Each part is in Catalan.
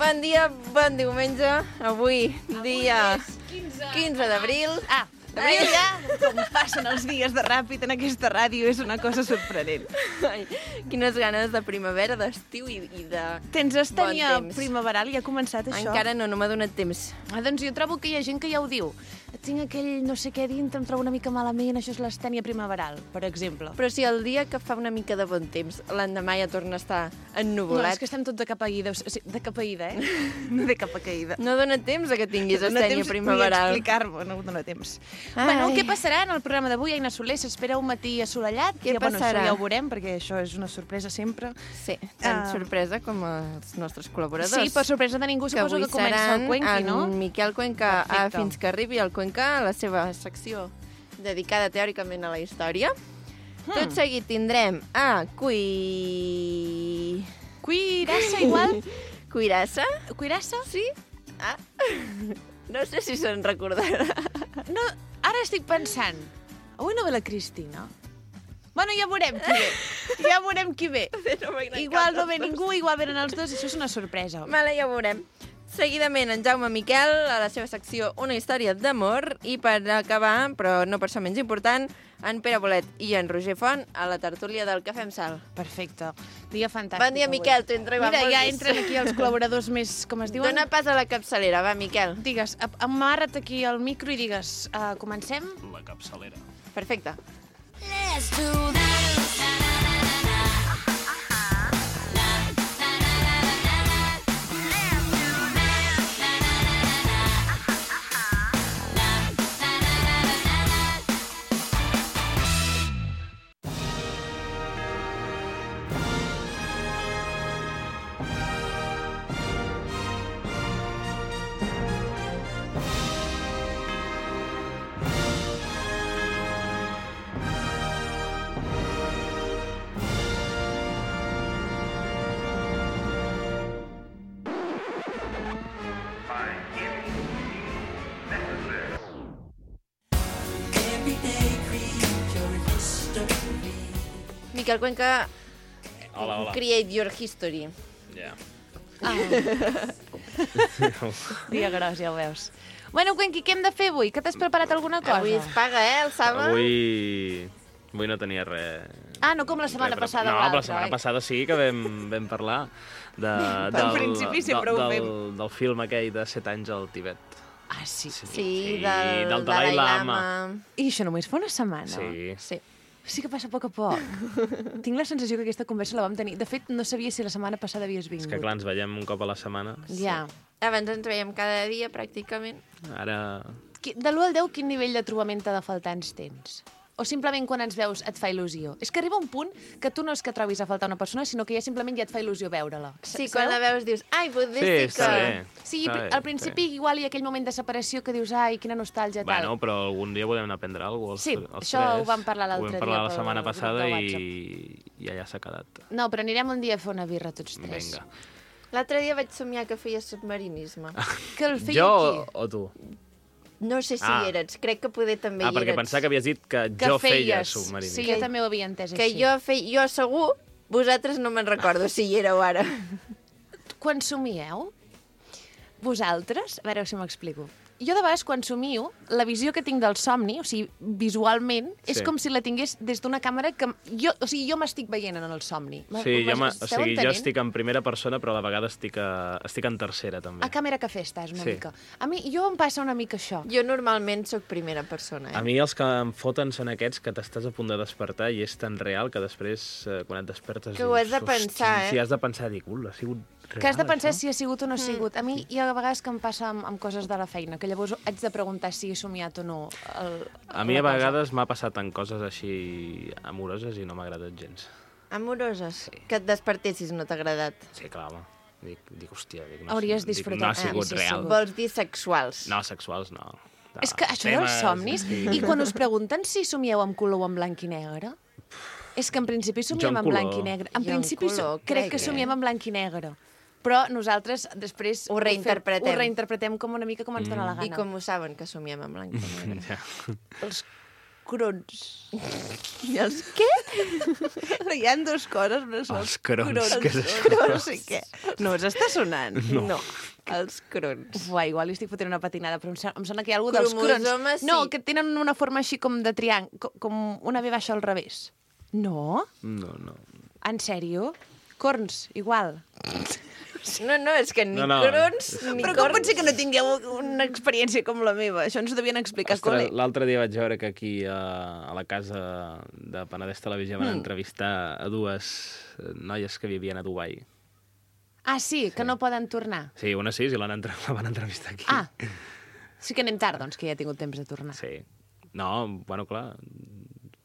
Bon dia, bon diumenge. Avui dia 15 d'abril. D'abril ja, com passen els dies de ràpid en aquesta ràdio, és una cosa sorprenent. Ai, quines ganes de primavera, d'estiu i de Tens estènia bon temps. primaveral, ja ha començat això? Encara no m'ha donat temps. Doncs jo trobo que hi ha gent que ja ho diu. Tinc aquell no sé què dintre, em trobo una mica malament, això és l'estènia primaveral, per exemple. Però si el dia que fa una mica de bon temps, l'endemà ja torna a estar ennuvolat. No, és que estem tots de capa ida, de capa ida, No de capa caïda. No dona temps a que tinguis No dona estènia temps primaveral. ni explicar-me, no dona temps. Ai. Bueno, què passarà en el programa d'avui, Aina Soler? S'espera un matí assolellat? Què passarà? Això ja ho veurem, perquè això és una sorpresa sempre. Sí, tan sorpresa com els nostres col·laboradors. Sí, per sorpresa de ningú, suposo que comença el Cuenqui, no? En Miquel Cuenca, Perfecte. fins que arribi el Cuenca, a la seva secció dedicada teòricament a la història. Tot seguit tindrem a Cuirassa, igual? Cuirassa? Cuirassa? Sí? Ah. No sé si se'n recordarà. No, ara estic pensant. Avui no ve la Cristina? Bueno, ja veurem qui ve. Ja veurem qui ve. Igual no ve ningú, igual venen els dos, això és una sorpresa. Vale, ja ho veurem. Seguidament, en Jaume Miquel, a la seva secció Una història d'amor, i per acabar, però no per ser menys important, en Pere Bolet i en Roger Font a la tertúlia del Cafè amb Sal. Perfecte. Dia fantàstic. Bon dia, avui. Miquel, t'he entregat Mira, molt ja vist. entren aquí els col·laboradors més, com es diuen? Dóna pas a la capçalera, va, Miquel. Digues, amarra't aquí al micro i digues, comencem? La capçalera. Perfecte. Let's do this. Miquel Cuenca, Hola, hola. create your history. Ja. Dia gros, ja ho veus. Bueno, Cuenqui, què hem de fer avui? Que t'has preparat alguna cosa? Avui es paga, el Saba? Avui no tenia res... Ah, no com la setmana passada o No, l'altra, la setmana passada sí que vam parlar Al principi sempre ho fem. del film aquell de 7 anys al Tibet. Ah, sí. Sí, del Dalai Lama. I això només fa una setmana? Sí. Sí. Sí que passa a poc a poc. Tinc la sensació que aquesta conversa la vam tenir. De fet, no sabia si la setmana passada havies vingut. És que clar, ens veiem un cop a la setmana. Ja. Abans ens veiem cada dia, pràcticament. Ara... De l'1 al 10, quin nivell de trobament t'ha de faltar ens tens? O simplement quan ens veus et fa il·lusió? És que arriba un punt que tu no és que trobis a faltar una persona, sinó que ja simplement ja et fa il·lusió veure-la. Sí, quan la veus dius, ai, potser Sí, sí està que... bé. Sí, Està bé, al principi igual hi ha aquell moment de separació que dius, ai, quina nostàlgia, tal. Bueno, però algun dia podem anar a prendre alguna cosa. Sí, això ho vam parlar l'altre dia Ho vam parlar la pel setmana grup de passada WhatsApp. i allà s'ha quedat. No, però anirem un dia a fer una birra tots tres. Vinga. L'altre dia vaig somiar que feia submarinisme. Que el feia Jo aquí. o tu? No sé si hi eres, crec que poder també hi perquè eres. pensava que havies dit que Que jo feia feies. submarinisme. Sí, jo també ho havia entès Que així. jo segur, vosaltres no me'n recordo si hi éreu ara. Quan somieu, vosaltres, a veure si m'explico. Jo de vegades quan somio, la visió que tinc del somni, o sigui, visualment, és Sí. com si la tingués des d'una càmera que... jo m'estic veient en el somni. Sí, jo M'esteu jo entenent? estic en primera persona, però a la vegada estic en tercera, també. A càmera cafè estàs una Sí. mica. A mi, jo em passa una mica això. Jo normalment sóc primera persona, A mi els que em foten són aquests que t'estàs a punt de despertar i és tan real que després, quan et despertes... Que ho has de dius, pensar, "Hosti", eh? Sí, has de pensar, dic, ha sigut real, Que has de pensar això?" si ha sigut o no ha sigut. A mi hi ha vegades que em passa amb coses de la feina, que llavors haig de preguntar si he somiat o no. A mi la a cosa. vegades m'ha passat en coses així amoroses i no m'ha agradat gens. Amoroses. Que et despertessis no t'ha agradat. Sí, clar, home. Dic, hòstia, Hauries dic, disfrutat, no ha sigut sí, real. segur. Vols dir sexuals. No, sexuals no. És que això dels somnis, i quan us pregunten si somieu en color o en blanc i negre, és que en principi somiem Jo en en blanc color. i negre. En Jo en principi color, crec que crec, somiem en blanc i negre. Però nosaltres després Ho reinterpretem. Ho reinterpretem com una mica com ens dóna la gana. I com ho saben que somiem en blanc i negre? Ja. crons. I els què? Hi ha dues coses, no són Els crons, què és això? crons, no sé què. No us està sonant? No. Els crons. Uai, igual li estic fotent una patinada, però em sona que hi ha alguna dels crons. Cromosomes, No, sí. que tenen una forma així com de triangle, com una V baixa al revés. No? No. En sèrio? Corns, igual. No, és que ni No, crons ni Però com corns. pot ser que no tingueu una experiència com la meva? Això ens ho devien explicar a Ostres, col·le. l'altre dia vaig veure que aquí a la casa de Penedès Televisió van entrevistar a dues noies que vivien a Dubai. Ah, sí, que no poden tornar. Sí, una sí, i la van entrevistar aquí. Ah, sí que anem tard, doncs, que ja he tingut temps de tornar. Sí. No, bueno, clar,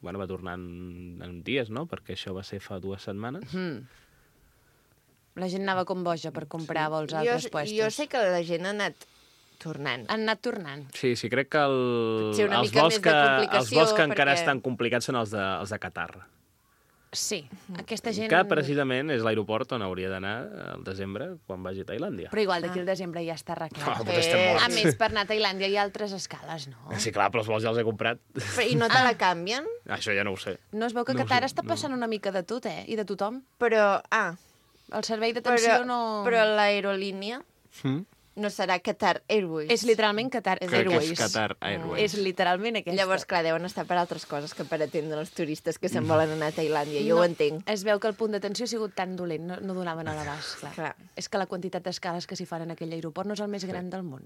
va tornar en dies, no? Perquè això va ser fa 2 setmanes. La gent anava com boja per comprar vols a altres puestos. Jo sé que la gent ha anat tornant. Han anat tornant. Sí, crec que Potser una els mica vols més de complicació, els vols que encara perquè- estan complicats són els de Qatar. Sí, aquesta gent... Que precisament és l'aeroport on hauria d'anar al desembre quan vagi a Tailàndia. Però igual d'aquí al desembre ja està arreglat. Doncs estem morts. A més, per anar a Tailàndia hi ha altres escales, no? Sí, clar, però els vols ja els he comprat. I no te la canvien? Això ja no ho sé. No es veu que No, Qatar està passant una mica de tot, I de tothom. Però, El servei d'atenció no... però l'aerolínia Mm? no serà Qatar Airways. És literalment Qatar Crec que Airways. és Qatar Airways. És literalment aquesta. Llavors, clar, deuen estar per altres coses que per atendre els turistes que se'n volen anar a Tailàndia. Jo ho entenc. Es veu que el punt d'atenció ha sigut tan dolent, no donaven a l'abast, clar. Clar. És que la quantitat d'escales que s'hi fan en aquell aeroport no és el més gran del món.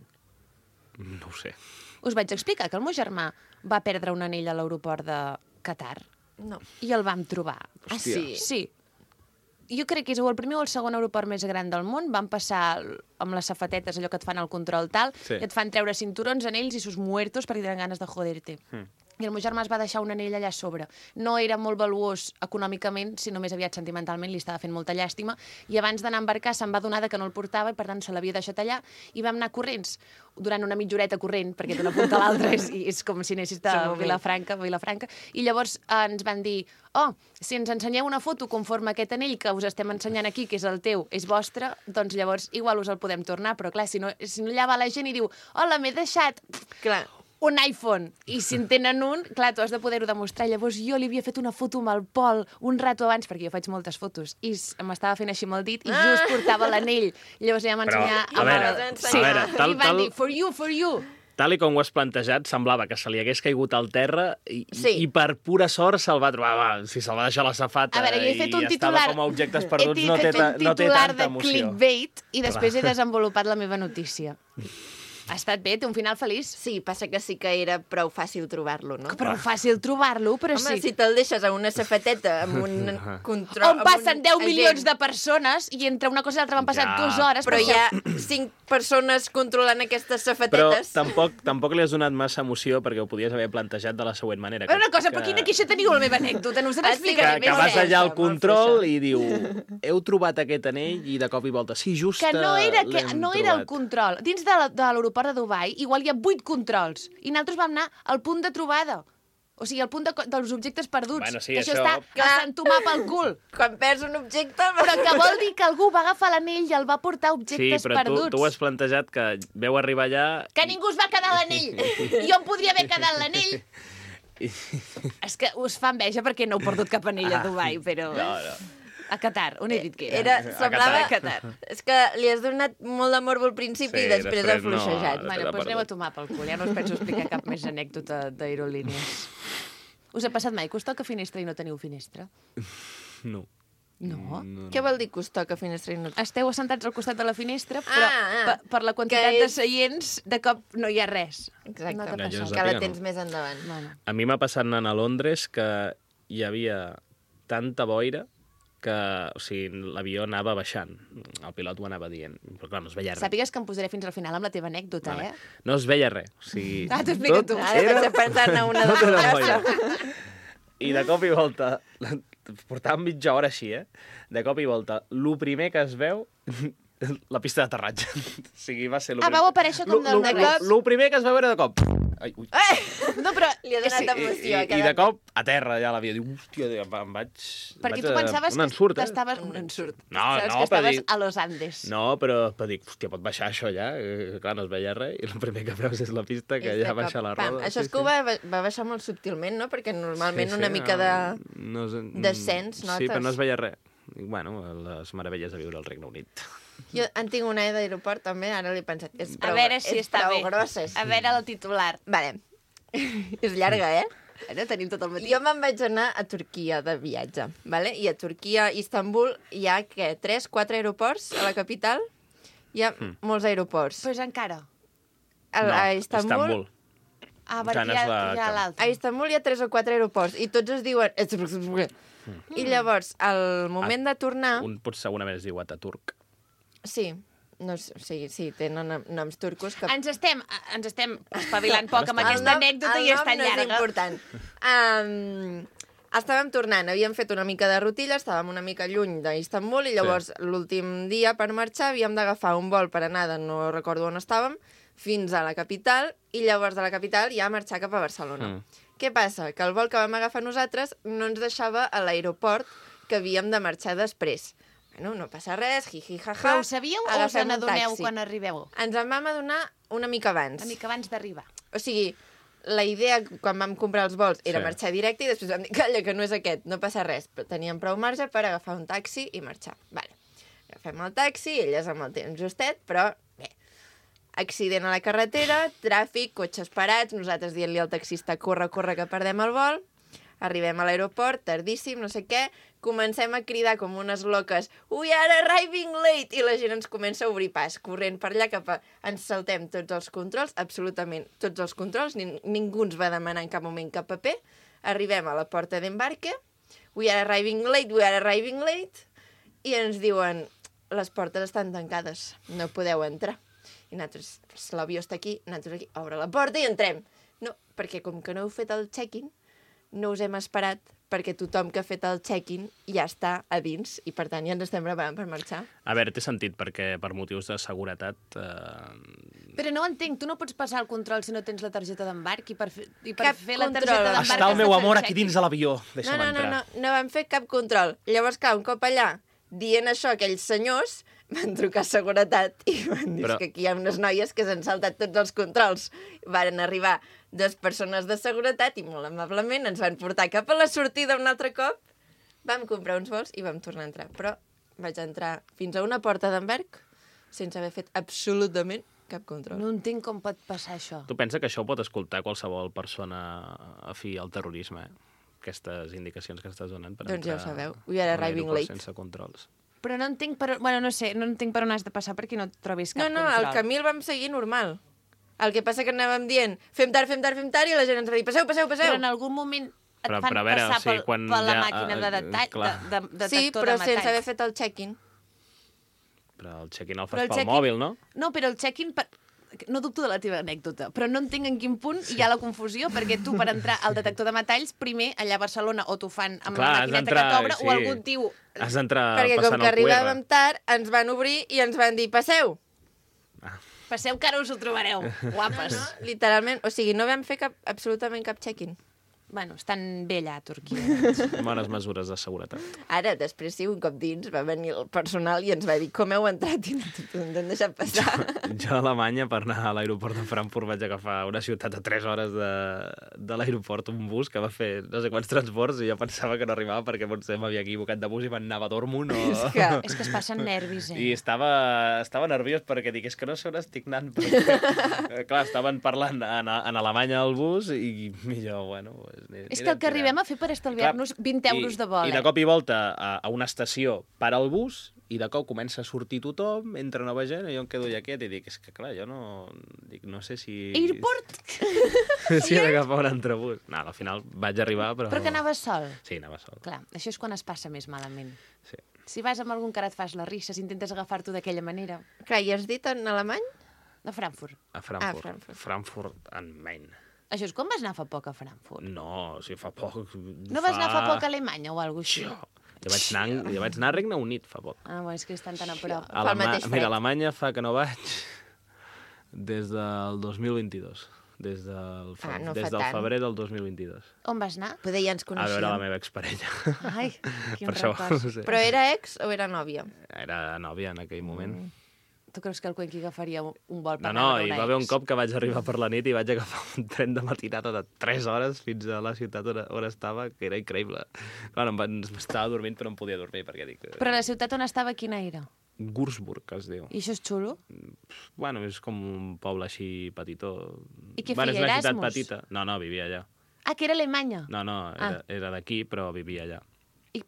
No ho sé. Us vaig explicar que el meu germà va perdre un anell a l'aeroport de Qatar No. i el vam trobar. Ah, sí? Sí. Jo crec que és o el primer o el segon aeroport més gran del món. Van passar amb les safatetes, allò que et fan al control tal, Sí. i et fan treure cinturons, anells i sus muertos perquè tenen ganes de joder-te. I el meu germà es va deixar un anell allà a sobre. No era molt valuós econòmicament, sinó més aviat sentimentalment, li estava fent molta llàstima, i abans d'anar a embarcar se'n va adonar que no el portava i per tant se l'havia deixat allà, i vam anar corrents, durant una mitja horeta corrent, perquè d'una punta a l'altra és com si anessis de Vilafranca, i llavors ens van dir, si ens ensenyeu una foto conforme aquest anell que us estem ensenyant aquí, que és el teu, és vostre, doncs llavors igual us el podem tornar, però clar, si no allà va la gent i diu, hola, m'he deixat Clar. un iPhone, i si en tenen un, clar, tu has de poder-ho demostrar. Llavors jo li havia fet una foto amb el Pol un rato abans, perquè jo faig moltes fotos, i m'estava fent així amb el dit, i just portava l'anell. Llavors ja m'ensenyar... a veure, I van dir, for you. Tal i com ho has plantejat, semblava que se li hagués caigut al terra Sí. i per pura sort se'l va trobar. Si se'l va deixar a la safata A veure, jo he fet un i titular... estava com a objectes perduts, he no té fet un titular tanta de emoció. clickbait i després he desenvolupat la meva notícia. Ha estat bé, té un final feliç. Sí, passa que sí que era prou fàcil trobar-lo, no? Però fàcil trobar-lo, però Home, sí. si te'l deixes a una safateta amb un control... On passen 10 milions de persones i entre una cosa i l'altra van passar Ja. 2 hores. Però hi ha 5 persones controlant aquestes Però safatetes. tampoc li has donat massa emoció perquè ho podies haver plantejat de la següent manera. Una cosa, però quina queixa teniu la meva anècdota? No us Ah, sí, l'explicaré que més. vas fluixa, allà al molt control fluixa. i diu heu trobat aquest anell i de cop i volta sí, just Que no era el trobat. control. Dins de l'aeroport de Dubai igual hi ha 8 controls i nosaltres vam anar al punt de trobada. O sigui, al punt dels objectes perduts. Bueno, sí, que això això- està a s'entomar pel cul. Quan perds un objecte... Però que vol dir que algú va agafar l'anell i el va portar Sí, objectes però perduts. tu ho has plantejat que veu arribar allà... Que ningú es va quedar l'anell. Jo em podria haver quedat l'anell. És que us fa enveja perquè no heu perdut cap anell a Dubai, però... No. A Qatar, on he dit que era? Semblava... Qatar. És que li has donat molt d'amor al principi Sí, i després ha després no. fluixejat. Bueno, l'ha doncs anem a perdut. tomar pel cul. Ja no us penso explicar cap més anècdota d'aerolínies. Us ha passat mai que us toca finestra i no teniu finestra? No. No? Què vol dir que us toca finestra i no... Esteu assentats al costat de la finestra, però Ah. per la quantitat Que de és- seients, de cop no hi ha res. Exacte, No t'ha No, jo passat. us que la sàpiga, no. tens més endavant. Bueno. A mi m'ha passat anant a Londres que hi havia tanta boira que, o sigui, l'avió anava baixant. El pilot ho anava dient. Però clar, no es veia res. Sàpigues que em posaré fins al final amb la teva anècdota, Vale. eh? No es veia res. O sigui, Ah, t'ho explica tu. Ara vaig a pensar-ne una de Tot era les boira. I de cop i volta, portàvem mitja hora així, de cop i volta, lo primer que es veu, la pista d'aterratge. O sigui, va ser... Ah, vau aparèixer com del lo primer que es veu era de cop. Ai, ui. No, però... Li ha donat emoció. I de cop, a terra ja l'havia dit, hòstia, em vaig... Perquè tu pensaves un ensurt, que estaves... Un ensurt. Pensaves que per estaves dir... a Los Andes. No, però per dir, hòstia, pot baixar això ja? Clar, no es veia res, i el primer que veus és la pista que ja baixa la roda. Això és que ho va baixar molt subtilment, no? Perquè normalment una mica de descens, notes. Sí, però no es veia res. I, bueno, les meravelles de viure al Regne Unit. Jo en tinc una d'aeroport, també, ara l'he pensat. És A veure si està bé. Grossa. A veure el titular. Vale. És llarga, eh? Ara tenim tot el matí. Jo me'n vaig anar a Turquia de viatge, vale? I a Turquia, Istanbul, hi ha, 3-4 aeroports a la capital? Hi ha molts aeroports. Pues encara. A Istanbul... Ah, perquè hi ha l'altre. A Istanbul hi ha 3 o 4 aeroports i tots es diuen... I llavors, al moment de tornar... Un potser segurament es diu Ataturk. Sí, no, sí, tenen noms turcos que... Ens estem espavilant poc amb aquesta anècdota i és tan llarga. El nom no és important. Estàvem tornant, havíem fet una mica de rutilla, estàvem una mica lluny d'Istanbul i llavors l'últim dia per marxar havíem d'agafar un vol per anar de no recordo on estàvem fins a la capital i llavors de la capital ja marxar cap a Barcelona. Què passa? Que el vol que vam agafar nosaltres no ens deixava a l'aeroport que havíem de marxar després. Bueno, no passa res, jiji, jaja. Però ho sabíeu o us n'adoneu quan arribeu? Ens en vam adonar una mica abans. Una mica abans d'arribar. O sigui, la idea quan vam comprar els vols era marxar directe i després vam dir, calla, que no és aquest, no passa res. Però teníem prou marge per agafar un taxi i marxar. Vale. Agafem el taxi, elles amb el temps justet, però bé. Accident a la carretera, tràfic, cotxes parats, nosaltres dient-li al taxista, corre, que perdem el vol. Arribem a l'aeroport, tardíssim, no sé què, comencem a cridar com unes loques "We are arriving late!" i la gent ens comença a obrir pas, corrent per allà cap a... Ens saltem tots els controls, absolutament tots els controls, ningú ens va demanar en cap moment cap paper. Arribem a la porta d'embarque, "We are arriving late!" I ens diuen "Les portes estan tancades, no podeu entrar." I nosaltres, l'avió està aquí, nosaltres aquí, obre la porta i entrem. No, perquè com que no heu fet el check-in, no us hem esperat perquè tothom que ha fet el check-in ja està a dins i, per tant, ja ens estem preparant per marxar. A veure, té sentit, perquè per motius de seguretat... Però no ho entenc, tu no pots passar el control si no tens la targeta d'embarc i per fer la control. targeta d'embarc... Està el meu amor aquí dins de l'avió, deixa'm entrar. No vam fer cap control. Llavors, clar, un cop allà, dient això, aquells senyors van trucar a seguretat i van dir que aquí hi ha unes noies que s'han saltat tots els controls. Varen arribar 2 persones de seguretat i molt amablement ens van portar cap a la sortida un altre cop. Vam comprar uns vols i vam tornar a entrar. Però vaig entrar fins a una porta d'embarc sense haver fet absolutament cap control. No entenc com pot passar això. Tu pensa que això ho pot escoltar qualsevol persona afí al terrorisme, Aquestes indicacions que estàs donant per doncs entrar... ja ho sabeu. We are arriving late. Sense controls. Però no entenc per... Bueno, no sé, no entenc per on has de passar perquè no trobis cap control. El camí el vam seguir normal. El que passa que anàvem dient fem tard, i la gent ens va dir passeu. Però en algun moment et fan passar per la màquina de detector de metall. Sí, però sense haver fet el check-in. Però el check-in el fas pel mòbil, no? No, però el check-in... No dubto de la teva anècdota, però no entenc en quin punt hi ha la confusió, perquè tu, per entrar al detector de metalls, primer, allà a Barcelona, o t'ho fan amb la maquineta que t'obre, o algun tio... Has d'entrar perquè passant el QR. Perquè com que arribàvem tard, ens van obrir i ens van dir, passeu. Passeu que ara us ho trobareu, guapes. No, literalment, o sigui, no vam fer absolutament cap check-in. Bueno, estan bé allà a Turquia. Bones mesures de seguretat. Ara, després, sí, un cop dins, va venir el personal i ens va dir com heu entrat i no ens han deixat passar. Jo a Alemanya, per anar a l'aeroport de Frankfurt, vaig agafar una ciutat a 3 hores de l'aeroport, un bus que va fer no sé quants transports i jo pensava que no arribava perquè potser m'havia equivocat de bus i m'anava a Dortmund o... És que es passen nervis, I estava nerviós perquè dic, és que no sé on estic anant. Perquè, clar, estaven parlant en alemany al bus i jo, bueno... És que el que arribem a fer per estalviar-nos 20 euros de vol. I de cop i volta a una estació para el bus i de cop comença a sortir tothom, entra nova gent i jo em quedo allà quiet i dic, és que clar, jo no sé si... Airport? Si he d'agafar un altre bus. No, al final vaig arribar, però... Però que anaves sol? Sí, anava sol. Clar, això és quan es passa més malament. Sí. Si vas amb algun que ara et fas les risses, intentes agafar-t'ho d'aquella manera. Clar, i has dit en alemany? De Frankfurt. A Frankfurt. Frankfurt am Main. Això és com vas anar fa poc a Frankfurt? No, si fa poc... No vas anar fa poc a Alemanya o alguna cosa així? Jo vaig anar a Regne Unit fa poc. Ah, bueno, és que estan tan a prop. Mira, a Alemanya fa que no vaig des del 2022. des del, no des fa del tant. febrer del 2022. On vas anar? Poder ja ens A veure la coneixíem. meva exparella. Ai, quin Per això, record. no sé. Però era ex o era nòvia? Era nòvia en aquell moment. Tu creus que el Cuenqui agafaria un vol per No, anar a hi veure va haver un ex? cop que vaig arribar per la nit i vaig agafar un tren de matinada de 3 hores fins a la ciutat on estava, que era increïble. Clar, estava dormint però no em podia dormir perquè dic... Però la ciutat on estava, quina era? Gursburg, es diu. I això és xulo? Bueno, és com un poble així petitó. I què Bueno, feia, és una ciutat Erasmus? petita. No, vivia allà. Ah, que era Alemanya. No, era d'aquí, però vivia allà.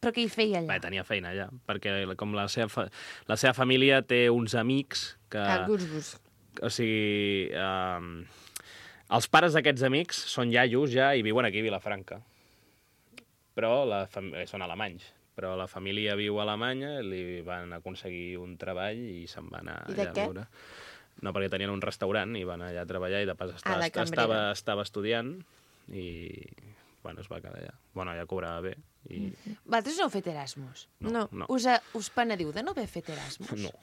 Però què hi feia allà? Bé, tenia feina allà, perquè com la seva família té uns amics que... A Gursbus. O sigui, els pares d'aquests amics són iaios ja i viuen aquí a Vilafranca. Però són alemanys. Però la família viu a Alemanya, li van aconseguir un treball i se'n van anar I de allà a què? veure. No, perquè tenien un restaurant i van allà a treballar i de pas de cambrera. estava estudiant i bueno, es va quedar allà. Bueno, ja cobrava bé. I... Vosaltres no heu fet Erasmus? No. Us penediu de no haver fet Erasmus? No.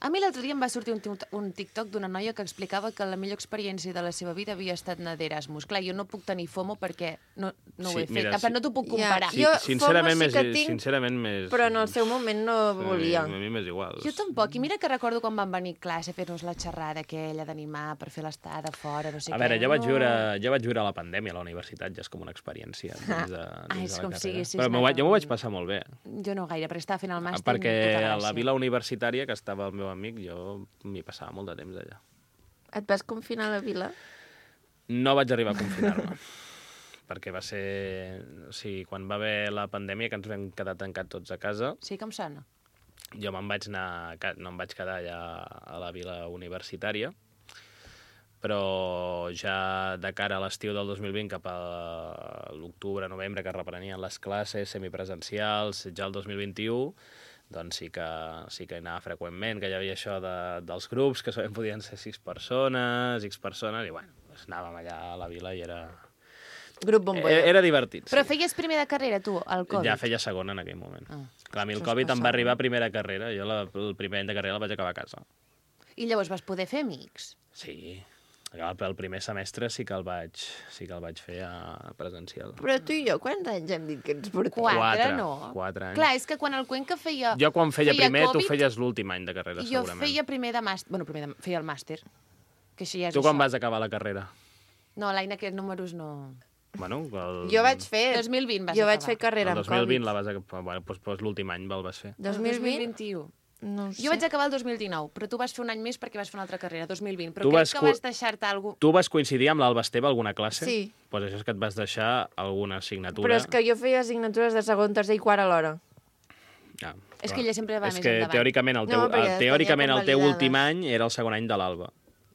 A mi l'altre dia em va sortir un TikTok d'una noia que explicava que la millor experiència de la seva vida havia estat anar d'Erasmus. Clar, jo no puc tenir FOMO perquè no ho Sí, he fet. mira, No t'ho puc comparar. Ja, Jo, sincerament, FOMO sí que tinc, sincerament més... Però en el seu moment no volia. A mi m'és igual. Jo tampoc. I mira que recordo quan van venir a classe a fer-nos la xerrada aquella d'animar per fer l'estada fora, no sé A què. veure, jo vaig viure a la pandèmia a la universitat, ja és com una experiència dins de és la com carrera. si Però anat jo m'ho vaig passar molt bé. Jo no gaire, perquè estava fent el màster. Perquè tota a la gràcia. vila universitària, que estava el meu amic, jo m'hi passava molt de temps allà. Et vas confinar a la vila? No vaig arribar a confinar-me, perquè va ser... O sigui, quan va haver la pandèmia, que ens vam quedar tancats tots a casa, Sí que em sona. jo me'n vaig anar... No em vaig quedar allà a la vila universitària, però ja de cara a l'estiu del 2020, cap a l'octubre, novembre, que reprenien les classes semipresencials, ja el 2021, doncs sí que hi anava freqüentment, que hi havia això dels grups, que solament podien ser 6 persones, X persones, i bueno, doncs anàvem allà a la vila i era... Grup bombolla. Era divertit. Però feies primer de carrera, tu, al Covid? Ja feia segona en aquell moment. Ah, Clar, a mi el això és Covid em passar. va arribar a primera carrera. Jo el primer any de carrera el vaig acabar a casa. I llavors vas poder fer amics? Sí. El primer semestre sí que el vaig fer presencial. Però tu i jo, quants anys hem dit que ens portem? Quatre, no? 4 anys. Clar, és que quan el Cuenca feia... Jo quan feia primer, tu Covid, feies l'últim any de carrera, Jo segurament. feia primer de màster... Bueno, feia el màster. Que això ja és Tu quan això. vas acabar la carrera? No, l'Aina, aquests números no... Bueno, Jo vaig fer... 2020 vas Jo vaig acabar. fer carrera el amb 2020 Covid. la vas acabar... Bueno, doncs l'últim any el vas fer. 2020? 2021. No ho sé. Jo vaig acabar el 2019, però tu vas fer un any més perquè vas fer una altra carrera, 2020. Però Tu crec vas que vas deixar-te alguna Tu vas coincidir amb l'Alba Esteve alguna classe? Sí. Doncs això és que et vas deixar alguna assignatura. Però és que jo feia assignatures de segon, tercer i quart alhora. Ah, És clar. que ella sempre va és més que endavant. teòricament el teu, No, perquè teòricament tenia el teu convalidades. últim any era el segon any de l'Alba.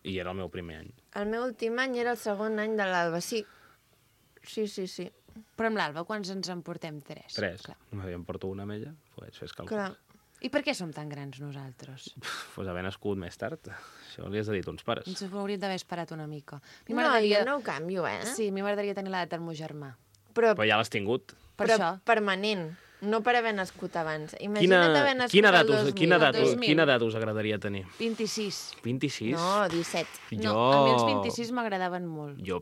I era el meu primer any. El meu últim any era el segon any de l'Alba, sí. Sí. Però amb l'Alba, quants ens en portem? 3. 3. Clar. Jo em porto una amb ella, doncs fes càlculs. Clar. I per què som tan grans nosaltres? Pues haver nascut més tard. Això li has de dir a tons pares. Ens ho hauríem d'haver esperat una mica. A mi No, m'agradaria... jo no ho canvio, eh? Sí, a mi m'agradaria tenir l'edat del meu germà. Però Però ja l'has tingut. Per però això. permanent, no per haver nascut abans. Imagina't haver nascut quina, el edat 2000. quina edat us agradaria tenir? 26. 26? No, 17. No, a mi els 26 m'agradaven molt. Jo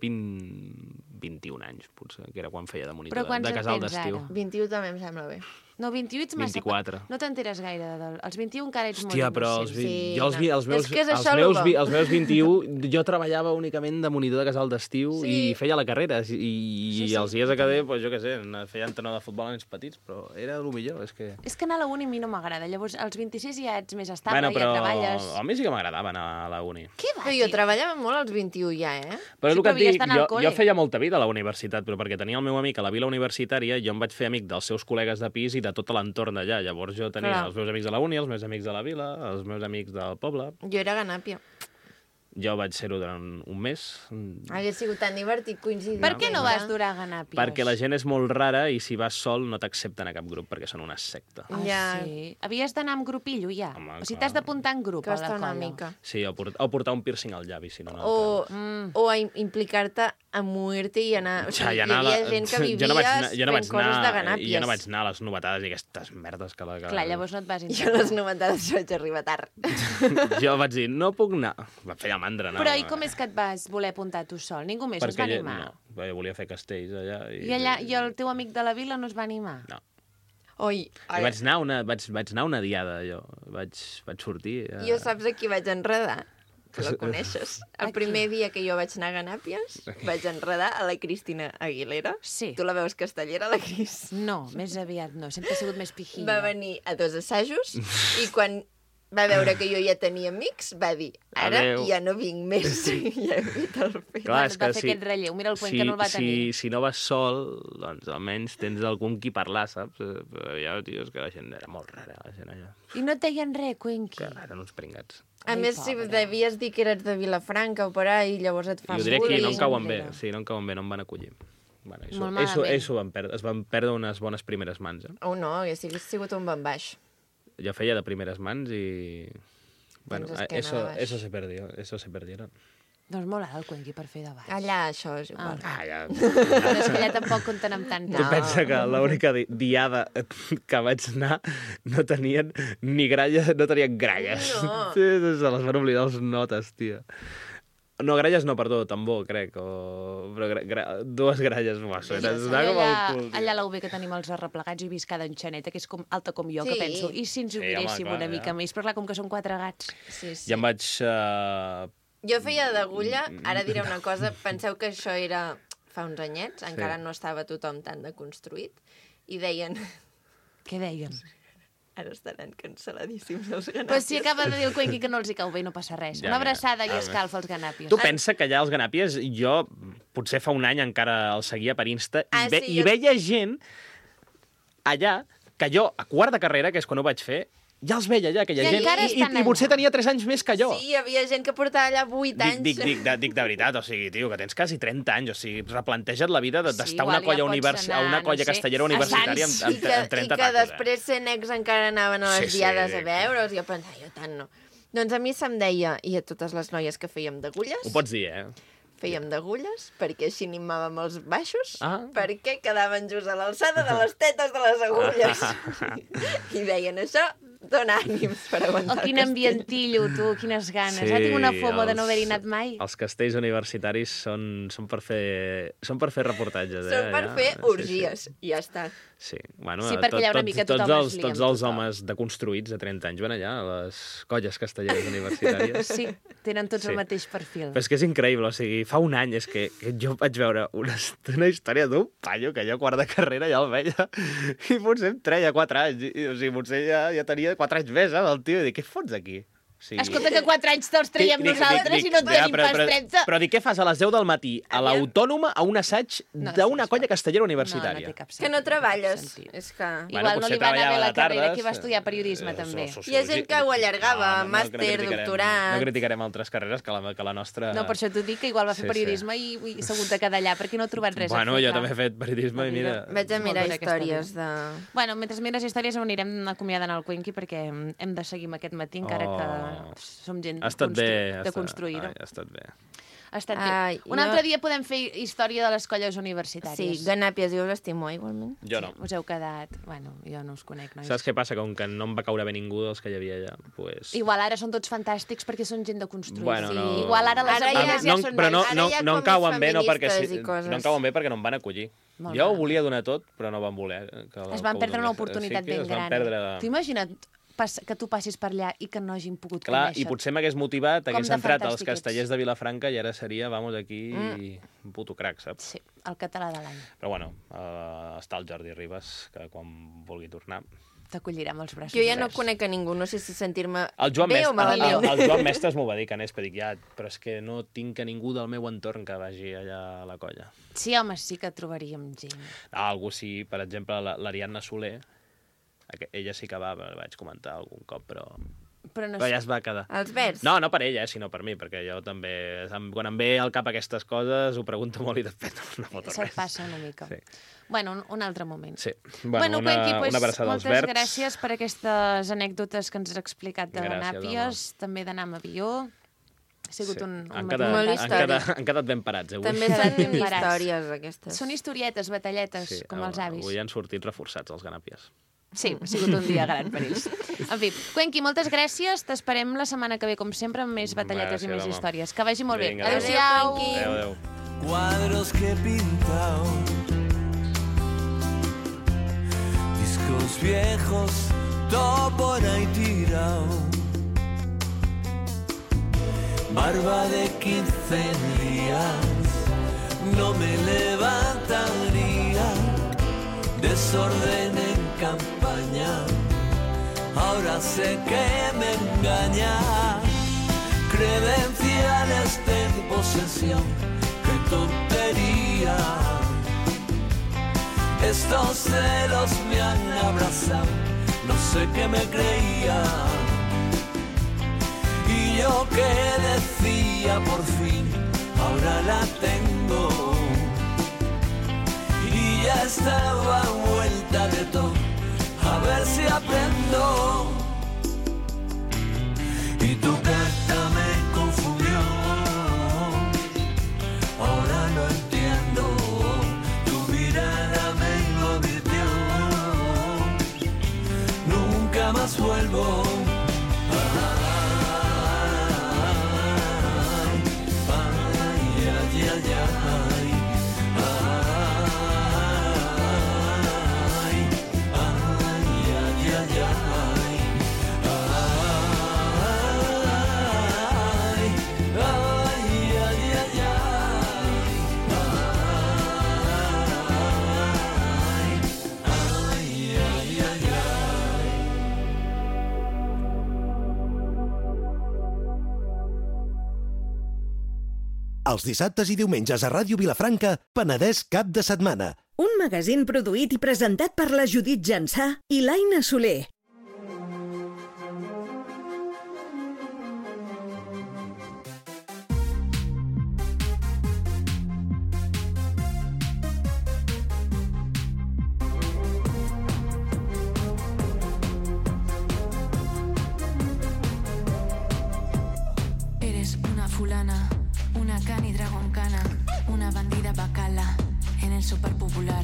21 anys, potser, que era quan feia de monitor Però quants de en casal tens d'estiu. ara? 21 també em sembla bé. No, 28 ets massa... 24. No t'enteres gaire. Els 21 encara ets Hòstia, molt però innocent. Sí, jo els meus, és que és els això, meus, Lugo. els meus 21, jo treballava únicament de monitor de casal d'estiu Sí. i feia la carrera. I Sí. els dies de cadet, doncs, jo què sé, feia entrenador de futbol a nens petits, però era el millor, és que... És que anar a la uni a mi no m'agrada. Llavors, als 26 ja ets més estable, Bueno, però ja treballes... a mi sí que m'agradava anar a la uni. Què va, Però jo treballava molt als 21 ja, eh? Però és Sí, el que però et dic, havies d'anar al jo col·le. feia molta vida a la universitat, però perquè tenia el meu amic a la vila universitària, jo em vaig fer amic dels seus col·legues de pis i de tot l'entorn d'allà. Llavors jo tenia Clar. els meus amics de la uni, els meus amics de la vila, els meus amics del poble. Jo era ganàpia. Jo vaig ser-ho durant un mes, Hauria sigut tan divertit coincidir. Per què no vas durar a Ganàpies? perquè la gent és molt rara i si vas sol no t'accepten a cap grup, perquè són una secta. Ah, Ja. sí? Havies d'anar amb grupillo, ja? Home, O sigui, clar. t'has d'apuntar en grup a la Costa una colla. mica. Sí, o portar un piercing al llavi, si no, no O, el o a implicar-te a muerte i anar... O Ja, sigui, ja hi havia anar- gent que jo vivia no vaig anar- jo no vaig fent coses anar- de ganàpies. Jo no vaig anar a les novetades i aquestes merdes que... Clar, llavors no et vas Jo integrar. les novetades vaig arribar tard. Jo vaig dir, no puc anar. Va fer mandra, no. Però i com és que et vas voler apuntar tu sol? Ningú més es va Perquè animar? no, perquè volia fer castells allà. I el teu amic de la vila no es va animar? No. Oi, I vaig anar una diada, jo. Vaig sortir... jo saps a qui vaig enredar? Que la coneixes. El primer dia que jo vaig anar a Ganàpies, vaig enredar a la Cristina Aguilera. Sí. Tu la veus castellera, la Cris? No, més aviat no. Sempre ha sigut més pijilla. Va venir a 2 assajos i quan va veure que jo ja tenia amics, va dir, ara Adéu. ja no vinc més. Ja he fet el fet. Clar, Bueno, va fer aquest relleu. Mira el Cuenca no el va tenir. Si no vas sol, doncs almenys tens algun qui parlar, saps? Però ja, tio, és que la gent era molt rara, la gent allà. I no et deien res, Cuenqui? Que eren uns pringats. A Ai, més, si pobra. devies dir que eres de Vilafranca o per ahí, llavors et fa Jo diré que bullying. no em cauen bé, enrere. sí, no em cauen bé, no em van acollir. Bueno, Molt malament. ells es van perdre unes bones primeres mans, eh? Oh, no, hagués sigut un bon baix. Jo feia de primeres mans i... Bueno, Tens esquena de baix. eso se perdieron. Doncs molt alt el Cuenqui per fer de baix. Allà això és igual. Ah, ja... Però és que allà tampoc compten amb tant. Tu pensa que l'única diada que vaig anar no tenien ni gralles, no tenien gralles. No. Sí, se les van oblidar els notes, tia. No, gralles no, perdó, tambor, crec, o... Però dues gralles, uah, Sí, era com el cul, tio. allà a la UB que tenim els arreplegats i vist cada enxaneta, que és com alta com jo, Sí. que penso, i si ens ho Sí, home, miréssim clar, una ja. mica més? Però clar, com que són 4 gats. Sí, sí. Ja em vaig... Jo feia d'agulla, ara diré una cosa, penseu que això era fa uns anyets, encara no estava tothom tan deconstruït, i deien, Què deien? ara estaran cancel·ladíssims els ganàpies. Però si acaba de dir el Cuenqui que no els hi cau bé i no passa res. Ja, Una abraçada ja. i escalfa als ganàpies. Tu pensa que allà els ganàpies, jo potser fa un any encara els seguia per Insta, Ah, sí, i veia gent allà que jo, a quart de carrera, que és quan ho vaig fer, ja els veia allà, aquella I gent, encara estan i potser allà. tenia 3 anys més que jo. Sí, hi havia gent que portava allà 8 anys. Dic de veritat, o sigui, tio, que tens quasi 30 anys, o sigui, replanteja't la vida d'estar Sí, a una igual colla, ja pots anar, a una no colla sé, castellera a universitària Sants. amb 30 I que tacos. després sent ex encara anaven a les Sí, sí, diades a dic. veure'ls, i jo pensava, jo tant no. Doncs a mi se'm deia, i a totes les noies que fèiem d'agulles, Ho pots dir, eh? fèiem d'agulles, perquè així animàvem els baixos, Ah. perquè quedaven just a l'alçada de les tetes de les agulles. I deien, això dona ànims per aguantar Oh, quin el castell. ambientillo, tu, quines ganes. Sí, Tinc una fomo de no els- haver-hi anat mai. Els castells universitaris són per fer reportatges, eh? Són per allà. fer Sí, orgies, i ja està. Sí, bueno, Sí, perquè allà una mica tothom es lia amb tots els tothom. homes deconstruïts de 30 anys van allà, a les colles castelleres universitàries. Sí, tenen tots Sí. el mateix perfil. Però és que és increïble, o sigui, fa un any és que jo vaig veure una història d'un paio que jo a quart de carrera ja el veia i potser em treia 4 anys, o sigui, potser ja tenia 4 anys més, el tio, i dic, què fots aquí? O sigui, Escolta, que 4 anys te'ls traiem nosaltres i no en ja, tenim pas 13. Però dic, què fas a les 10 del matí a l'Autònoma a un assaig No, d'una sí, colla està. castellera No, universitària? no té cap sentit. Que no treballes. sentit. És que... Bueno, Igual no potser li va anar bé treballava la de carrera, tardes. que va estudiar periodisme, també. Hi ha gent que ho allargava, màster, criticarem- doctorat. No criticarem altres carreres que la nostra... No, per això t'ho dic, que igual va fer Sí, periodisme i s'ha hagut de quedar allà, perquè no ha trobat res Bueno, a fer. jo clar. també he fet periodisme i mira... Vaig a És molt mirar dura aquesta històries de... Bueno, mentre mires històries anirem acomiadant el Cuenqui perquè hem de seguir amb aquest matí, encara que som gent Ha estat bé. deconstruïda. Ha estat bé. Ha estat bé. Ai, Un jo- altre dia podem fer història de les colles Sí, universitàries. Ganàpies, jo l'estimo igualment. Jo no. Us heu quedat... Bueno, jo no us conec, nois. Saps què passa? Com que no em va caure bé ningú dels que hi havia allà, pues... Igual ara són tots fantàstics perquè són gent de construir. Bueno, no. Igual ara les Ara agulles ja ja són però no, nois. Ara no, hi ha no em com cauen bé, no perquè, feministes i coses. no em cauen bé perquè no em van acollir. Molt Jo ho mal. volia donar tot, però no van voler. Es van perdre una oportunitat ben es van gran. perdre... T'ho imagina't que tu passis per allà i que no hagin pogut Clar, conèixer. i potser m'hagués motivat, Com hagués de entrat als fantàstic ets. castellers de Vilafranca i ara seria, vamos, aquí, un puto crac, saps? Sí, el català de l'any. Però bueno, està el Jordi Ribas, que quan vulgui tornar... T'acollirà amb els braços Jo ja no oberts. conec a ningú, no sé si sentir-me El Joan, bé o malament. el Joan Mestres m'ho va dir, que anés, però dic, ja, però és que no tinc a ningú del meu entorn que vagi allà a la colla. Sí, home, sí que trobaríem gent. Algú sí, per exemple, l'Ariadna Soler, ella sí que va, la vaig comentar algun cop, però Però no ja sé. es va quedar. Els verds? No, no per ella, sinó per mi, perquè jo també, quan em ve al cap aquestes coses, ho pregunto molt i després no foto Se't res. passa una mica. Sí. Bueno, un altre moment. Sí. Bueno, Cuenqui, pues, una abraçada als moltes verds. gràcies per aquestes anècdotes que ens has explicat de Gràcies, Ganàpies, també d'anar amb avió. Ha sigut un Han matí quedat, Molt han, històric. quedat, han quedat ben parats, avui. També Quedat són ben parats. històries, aquestes. Són historietes, batalletes, com els avis. Avui han sortit reforçats els ganàpies. Sí, ha sigut un dia gran per ells. En fi, Cuenqui, moltes gràcies. T'esperem la setmana que ve, com sempre, amb més batalletes i Gràcies, més home. històries. Que vagi molt Vinga, bé. adéu. Adéu-siau. Cuenqui. Adéu. Cuadros que he pintado, discos viejos, todo por ahí tirado, barba de 15 días, no me levantaría, desorden en campaña, ahora sé que me engaña, credenciales de posesión, qué tontería. Estos celos me han abrazado, no sé qué me creía. Y yo que decía por fin, ahora la tengo. Y ya estaba vuelta de todo, a ver si aprendo. Y tu carta me confundió, ahora no entiendo. Tu mirada me lo advirtió, nunca más vuelvo. Ay, ay, ay, ay, ay. Els dissabtes i diumenges a Ràdio Vilafranca, Penedès cap de setmana. Un magazín produït i presentat per la Judit Jansà i l'Aina Soler. Eres una fulana, una cani dragoncana, una bandida bacala en el super popular.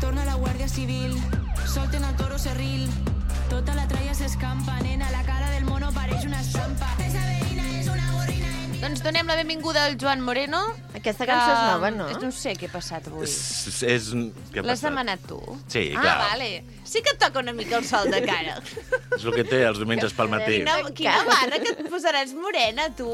Torna la Guàrdia Civil, solten el toro serril, tota la tralla s'escampa, nena, la cara del mono pareix una estampa. Esa veïna és una gorrina. Doncs donem la benvinguda al Joan Moreno. Aquesta cançó és nova, no? No sé què ha passat avui. Què ha L'has passat? demanat tu? Sí, clar. Vale. Sí que et toca una mica el sol de cara. És el que té els diumenges pel matí. Quina barra que et posaràs morena, tu.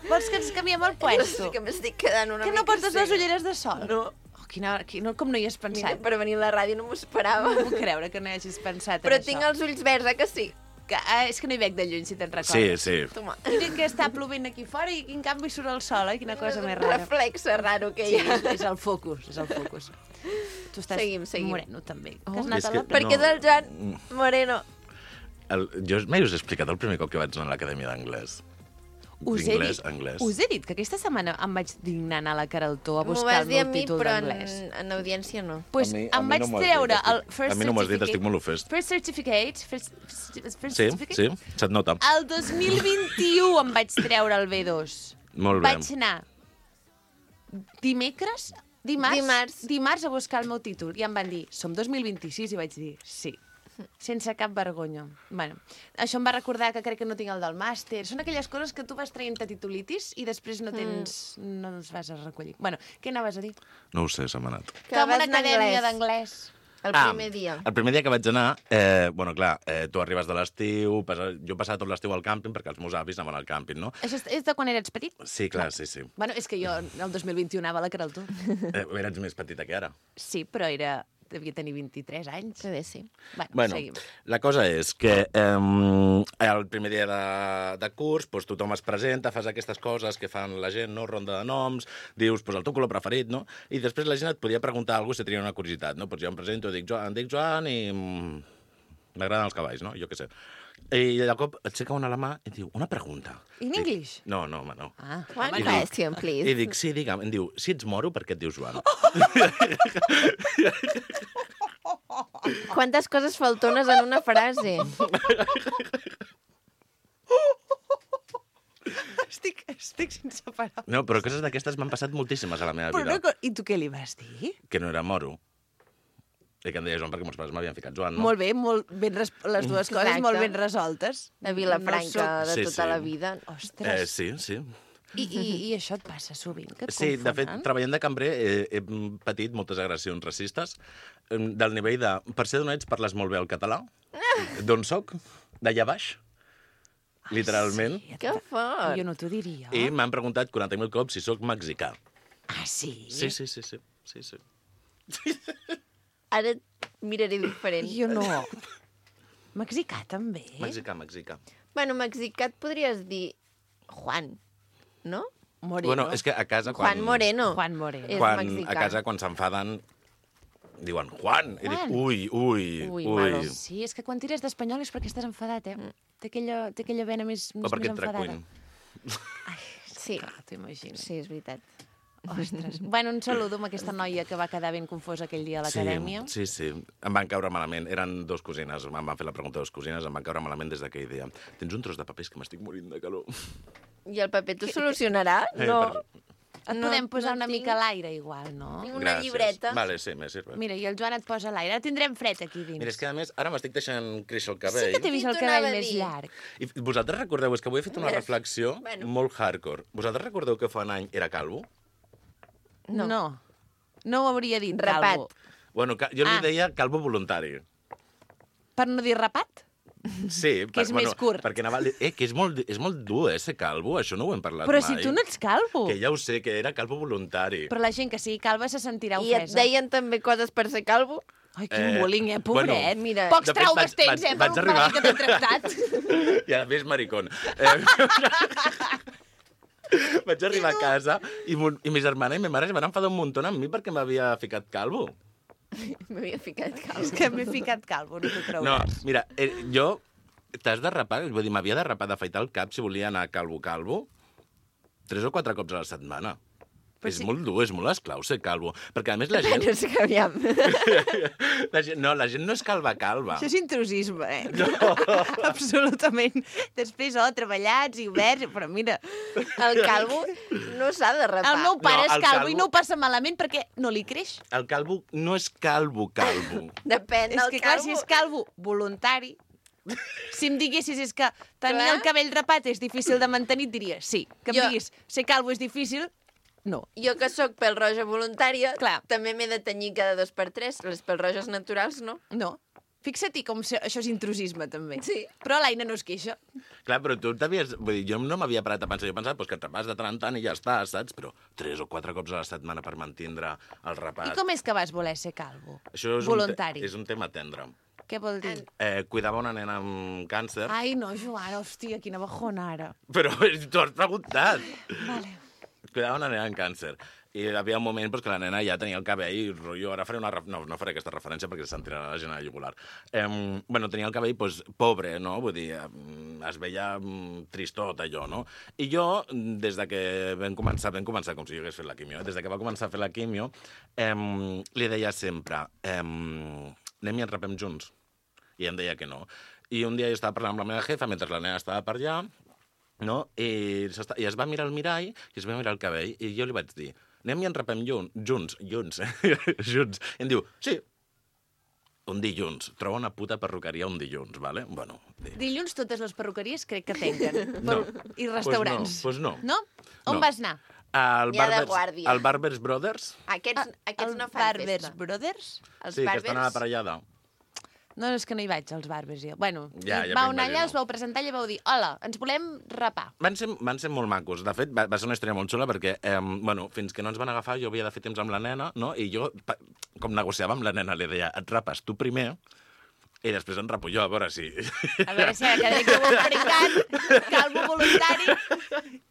Vols que ens canviem el puesto? Que m'estic quedant una Que mica... no portes les cega. ulleres de sol? No. Oh, com no hi has Mira, pensat? per venir a la ràdio no m'ho esperava. No puc creure que no hi hagis pensat Però en tinc això. els ulls verds, eh, que sí? És que no hi veig de lluny, si te'n recordes. Sí, sí. Toma. Mira que està plovent aquí fora i en canvi surt el sol, eh? Quina cosa És més un rara. reflexe raro que Sí, hi ha. és el focus, és el focus. Tu estàs Seguim. moreno, també. Oh. Que has anat És a que- la... Per què No. del Joan Moreno? Jo mai us he explicat el primer cop que vaig anar a l'Acadèmia d'Anglès. Anglès. Us he dit que aquesta setmana em vaig dignar anar a la Caraltó a M'ho buscar vas el dir a meu mi, títol però d'anglès. en audiència no. Pues A mi em vaig no m'ho has treure dit, el estic- First a mi no m'ho has dit, Certificate. estic molt ofès. First Certificate. First Sí, Certificate? sí, se't nota. El 2021 em vaig treure el B2. Molt bé. Vaig anar dimarts a buscar el meu títol i em van dir, som 2026, i vaig dir, sí. Sense cap vergonya. Bueno, això em va recordar que crec que no tinc el del màster. Són aquelles coses que tu vas traient-te titulitis i després no tens... no els vas a recollir. Bueno, què anaves a dir? No ho sé, se m'ha anat. Que Com vas una anar acadèmia anglès. d'anglès. El primer dia. El primer dia que vaig anar, bueno, clar, tu arribes de l'estiu, jo passava tot l'estiu al càmping perquè els meus avis anaven al càmping, no? Això és de quan eres petit? Sí, clar, sí, sí. Bueno, és que jo el 2021 anava a la Caraltó. Eres més petita que ara. Sí, però devia tenir 23 anys. Que bé, sí. Bueno, seguim. la cosa és que el primer dia de curs doncs, tothom es presenta, fas aquestes coses que fan la gent, no? Ronda de noms, dius el teu color preferit, no? I després la gent et podia preguntar alguna cosa si tenia una curiositat, no? Doncs jo em presento, em dic Joan i m'agraden els cavalls, no? Jo què sé. I de cop aixeca una a la mà i diu, una pregunta. In Dic, English? No, home, no. Ah, One home, no. question, please. I dic, sí, digue'm. Em diu, si ets moro, per què et dius Joan? Quantes coses faltones en una frase. Estic sense paraules. No, però coses d'aquestes m'han passat moltíssimes a la meva Però vida. no, I tu què li vas dir? Que no era moro. I que em deia Joan perquè meus pares m'havien ficat Joan, no? Molt bé, les dues coses Exacte. molt ben resoltes. De Vilafranca de Sí, tota sí. la vida. Ostres. Sí. I això et passa sovint, que et Sí, de fet, confonen? treballant de cambrer he patit moltes agressions racistes del nivell de... Per ser d'on ets, parles molt bé el català? D'on soc? D'allà baix? Literalment. Sí, Que fort. jo no t'ho diria. I m'han preguntat 40.000 cops si sóc mexicà. Ah, sí? Sí. Ara et miraré diferent. Jo no. Mexicà, també? Mexicà. Bueno, mexicà et podries dir Juan, no? Moreno. Bueno, és que a casa... Juan Moreno. Juan Moreno. És mexicà. A casa, quan s'enfaden, diuen Juan. I dic, Ui, ui. malo. Sí, és que quan tires d'espanyol és perquè estàs enfadat, Té aquella vena més O perquè et enfadada. tracuin. Sí, Clar, t'ho imagino. sí, és veritat. Ostres. Bueno, un saludo amb aquesta noia que va quedar ben confosa aquell dia a l'acadèmia. Sí. Em van caure malament. Eren dos cosines. Em van fer la pregunta de dos cosines. Em van caure malament des d'aquell dia. Tens un tros de paper, és que m'estic morint de calor. I el paper t'ho solucionarà? No. Et podem posar una mica a l'aire, igual, no? Tinc una llibreta. Vale, sí, me sirve. Mira, i el Joan et posa a l'aire. Ara tindrem fred aquí dins. Mira, és que a més, ara m'estic deixant créixer el Sí cabell. que t'he vist el Qui t'ho cabell anava a més dir? llarg. I vosaltres recordeu, és que avui he fet una Mira, reflexió bueno. molt hardcore. Vosaltres recordeu que fa un any era calvo? No. No ho hauria dit, Rapat. calvo. Bueno, jo li Ah. deia calvo voluntari. Per no dir rapat? Sí, Que és més curt. Perquè anava... que és molt dur, ser calvo, això no ho hem parlat Però mai. si tu no ets calvo. Que ja ho sé, que era calvo voluntari. Però la gent que sigui calva se sentirà I et ofesa. deien també coses per ser calvo? Ai, quin bullying, pobret. bueno, mira, Pocs de fet, traumes tens, vaig per un arribar- paio que t'he tractat. I a més, maricón. Vaig arribar a casa i mi germana i ma mare es van enfadar un muntó amb mi perquè m'havia ficat calvo. M'havia ficat calvo. És que m'he ficat calvo, no t'ho No, creuràs. mira, jo... T'has de rapar, vull dir, m'havia de rapar, d'afaitar el cap si volia anar calvo, 3 o 4 cops a la setmana. Però És sí. molt dur, és molt esclau ser calvo. Perquè, a més, la gent... No sé que aviam. la gent no és calva. Això és intrusisme, No. Absolutament. Després, treballats i oberts, però mira, El calvo no s'ha de rapar. el meu pare No, és el calvo i calvo- no ho passa malament perquè no li creix. El calvo no és calvo. Depèn És del que, clar, calvo. si és calvo voluntari, si em diguessis és que tenir Clar. el cabell rapat és difícil de mantenir, et diria sí. Que em Jo- diguis ser calvo és difícil, no. Jo que sóc pèl-roja voluntària, Clar. també m'he de tenyir cada 2 per 3. Les pèl-roges naturals, no. No. Fixa-t'hi com això és intrusisme, també. Sí. Però l'Aina no es queixa. Clar, però tu t'havies... Vull dir, jo no m'havia parat a pensar. Jo pensava que et rapàs de tant en tant i ja està, saps? Però 3 o 4 cops a la setmana per mantindre el rapat. I com és que vas voler ser calvo? Això és Voluntari. és un tema tendre. Què vol dir? Cuidava una nena amb càncer, Ai, no, Joan, hòstia, quina bajona ara. però tu has preguntat. Vale. Cuidava una nena amb càncer. I hi havia un moment que la nena ja tenia el cabell i rotllo, ara faré una... No faré aquesta referència perquè se sentirà la gent a la jugular. Tenia el cabell pobre, no? Vull dir, es veia tristot, allò, no? I jo, des de que vam començar com si jo hagués fet la quimio, des de que va començar a fer la quimio, li deia sempre, anem i ens rapem junts. I em deia que no. I un dia jo estava parlant amb la meva jefa mentre la nena estava per allà, no? I es va mirar al mirall i es va mirar el cabell i jo li vaig dir, anem i ens rapem junts. Junts. I em diu, sí, un dilluns. Troba una puta perruqueria un dilluns, vale? Bueno, Dilluns totes les perruqueries crec que tanquen. No. I restaurants. Pues no. No? On No. vas anar? Al Hi ha de Barbers, guàrdia. al Barbers Brothers, Aquests no fan Barbers festa. Brothers? Els sí, que bàrbers... estan a la parellada. No, és que no hi vaig, als Barbers. Jo. Bueno, Ja vau anar m'imagino. allà, us vau presentar i vau dir hola, ens volem rapar. Van ser molt macos. De fet, va ser una història molt xula perquè, fins que no ens van agafar, jo havia de fer temps amb la nena, no? I jo, com negociava amb la nena, li deia, et rapes tu primer i després em rapo jo, a veure si... A veure si ara cada dia que ho heu pringat, calvo voluntari...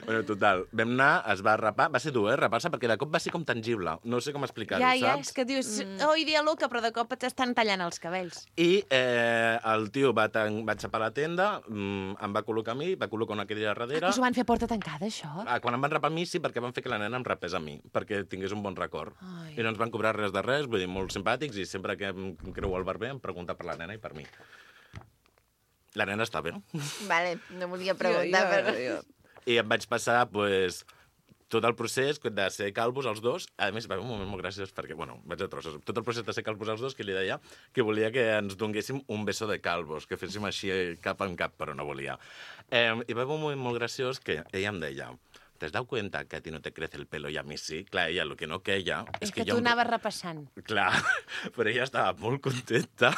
Bueno, total, vam anar, es va rapar, va ser dur, rapar-se, perquè de cop va ser com tangible. No sé com explicar-ho, Ja, saps? és que dius, oh, idea loca, però de cop t'estan tallant els cabells. I el tio va xapar la tenda, em va col·locar a mi, va col·locar una cadira darrere. Us ho van fer a porta tancada, això? Quan em van rapar a mi, sí, perquè van fer que la nena em rapés a mi, perquè tingués un bon record. Ai. I no ens van cobrar res de res, vull dir, molt simpàtics, i sempre que em creu el barber em pregunta per la nena i per mi. La nena està bé. Vale, no volia preguntar, però... I em vaig passar, pues, tot el procés de ser calvos els dos. A més, va haver un moment molt graciós perquè, bueno, vaig a trossos. Tot el procés de ser calvos els dos, que li deia que volia que ens donguéssim un beso de calvos, que féssim així cap en cap, però no volia. I va haver un moment molt graciós que ella em deia: ¿te has dado cuenta que a ti no te crece el pelo y a mí sí? Clar, ella el que no queia... És que tu anaves repassant. Clar, però ella estava molt contenta.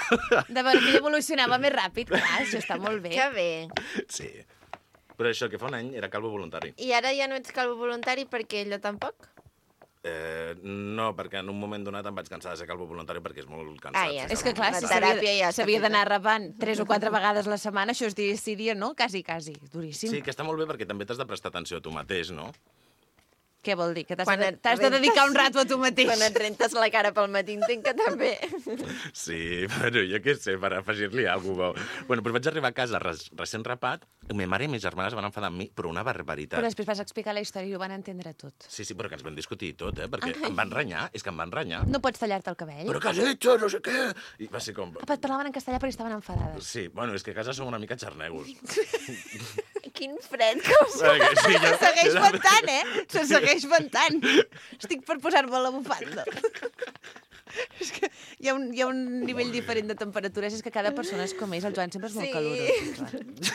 De veure que ella evolucionava més ràpid, clar, això està molt bé. Que bé. Sí. Però això, que fa un any era calvo voluntari. I ara ja no ets calvo voluntari perquè ella tampoc? No, perquè en un moment donat em vaig cansar de ser calvo voluntari perquè és molt cansat. Ah, ja És que, clar, La si teràpia ja s'havia està d'anar rapant 3 o 4 vegades a la setmana, això és dia, no? Quasi. Duríssim. Sí, que està molt bé perquè també t'has de prestar atenció a tu mateix, no? Què vol dir? Que Quan et t'has de dedicar un rato a tu mateix. Quan et rentes la cara pel matí, entenc que també. Sí, bueno, jo què sé, per afegir-li alguna cosa. Bueno, doncs vaig arribar a casa recent rapat, i ma mare i mes germanes van enfadar amb mi, però una barbaritat. Però després vas explicar la història i ho van entendre tot. Sí, però que ens vam discutir tot, perquè em van renyar, és que em van renyar. No pots tallar-te el cabell? Però què has hecho, no sé què? I va ser com... Papa, et parlaven en castellà però estaven enfadades. Sí, bueno, és que a casa som una mica xarnegos. Quin fred que us... Sí, Se segueix ventant, Se segueix ventant. Estic per posar-me la bufanda. És que hi ha un nivell diferent de temperatures, és que cada persona és com és. El Joan sempre és molt calorós.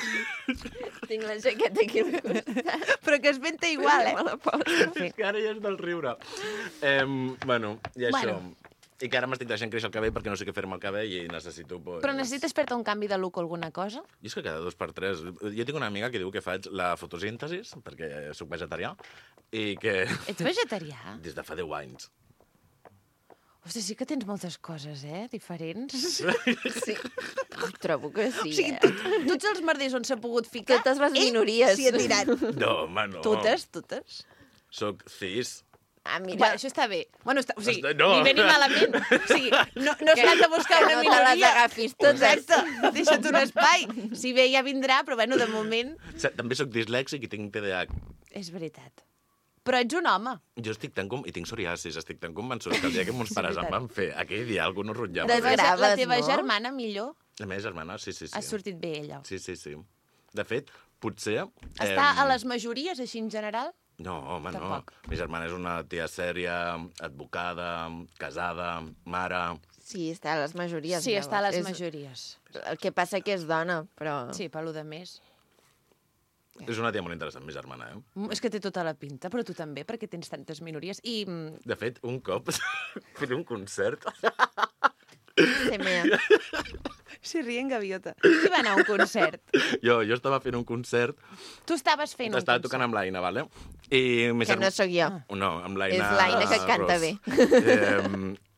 Tinc la jaqueta aquí al costat. Però que es venta igual, Me la poso. És que ara ja és del riure. Bueno, i això... Bueno. I que ara m'estic deixant créixer el cabell perquè no sé què fer-me el cabell i necessito... Pues... Però necessites fer-te un canvi de look o alguna cosa? I és que cada 2 per 3... Jo tinc una amiga que diu que faig la fotosíntesis, perquè sóc vegetarià, i que... Ets vegetarià? Des de fa 10 anys. Ostres, sí que tens moltes coses, diferents. Sí, trobo que sí, O sigui, tots els merders on s'ha pogut ficar... Totes les minories. S'hi ha tirat. No, home, no. Totes. Soc cis. Ah, mira. Bueno, això està bé. Bueno, o sigui, No. ni bé ni malament. O sigui, no es tracta de buscar que una no te minoria. les agafis totes. Exacte, deixa't un espai. Si bé ja vindrà, però bueno, de moment... També sóc dislèxic i tinc TDAH. És veritat. Però ets un home. Jo estic tan i tinc psoriasis, estic tan convençut que el dia que mons pares em van fer aquell dia alguna cosa rotllava. Desgraves, La teva no? germana, millor, La meva germana, sí. ha sortit bé, ella. Sí. De fet, potser... Està a les majories, així en general? No, home, Tampoc. no. Mi germana és una tia sèria, advocada, casada, mare... Sí, està a les majories. Sí, està a les llavors. majories. El que passa que és dona, però... Sí, per lo de més. És una tia molt interessant, mi germana, És que té tota la pinta, però tu també, perquè tens tantes minories. I De fet, un cop, fent un concert... Sí, mira. si rien gaviota. Qui va anar a un concert? Jo estava fent un concert, Tu estaves fent un estava concert. tocant amb l'Aina, vale? I mi Que no sóc jo. No, amb l'Aina... És l'Aina que canta Ros. bé.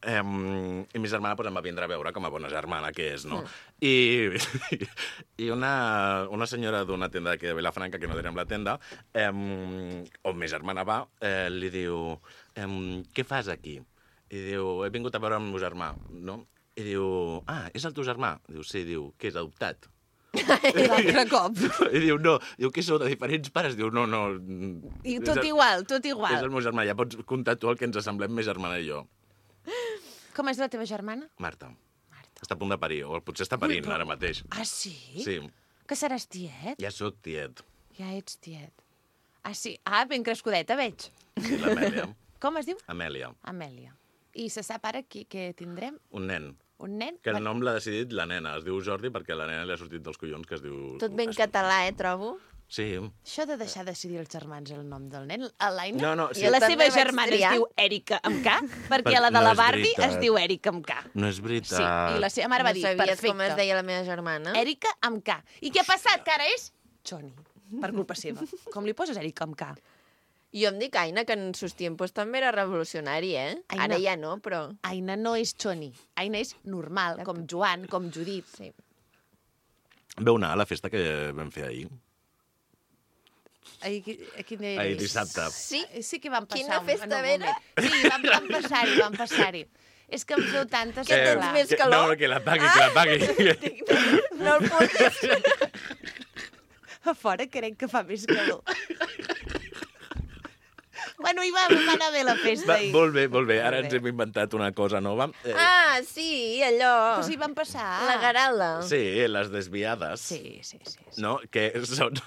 I mi germana pues, em va vindre a veure com a bona germana que és, no? I una senyora d'una tenda aquí de Vilafranca, que no direm la tenda, on mi germana va, li diu, què fas aquí? I diu, he vingut a veure amb el meu germà, no? I diu, és el teu germà? Diu, sí, diu, què és adoptat? I l'altre cop. I diu, no, diu, què sou de diferents pares? Diu, no. I tot igual. És el meu germà, ja pots comptar tu el que ens assemblem més germana i jo. Com és la teva germana? Marta. Està a punt de parir, o potser està parint ara mateix. Ah, sí? Sí, Que seràs tiet? ja sóc tiet. Ja ets tiet. Ah, sí? Ah, ben crescudeta, veig. Sí, l'Amèlia. Com es diu? Amèlia. Amèlia. I se sap ara què tindrem? Un nen. Un nen? Que el nom l'ha decidit la nena. Es diu Jordi perquè la nena li ha sortit dels collons que es diu... Tot ben català, trobo. Sí. Això de deixar decidir els germans el nom del nen, a l'Aina... No, sí. I la Jo seva també vaig germana es triar. diu Èrica amb K, perquè la de No la és Barbie veritat. es diu Èrica amb K. No és veritat. Sí, i la seva mare va dir, no sabies perfecte. com es deia la meva germana? Èrica amb K. I què ha passat? Que ara és Choni, per culpa seva. Com li poses Èrica amb K? Jo em dic Aina, que en sus tiempos també era revolucionari, Aina. Ara ja no, però... Aina no és Choni. Aina és normal, com Joan, com Judit. Sí. Veu anar a la festa que vam fer ahir? Quin dia Ahir és? dissabte. Sí? Sí que vam passar Quina festa en un vera? moment. Sí, vam passar-hi. És que em feu tantes... Que tens clar. més calor? No, que la pagui. No el puc... A fora crec que fa més calor. Bueno, va anar bé la festa. Molt bé. Ara ens hem inventat una cosa nova. Sí, allò. Però sí van passar. La garala. Sí, les desviades. Sí. No? Que són...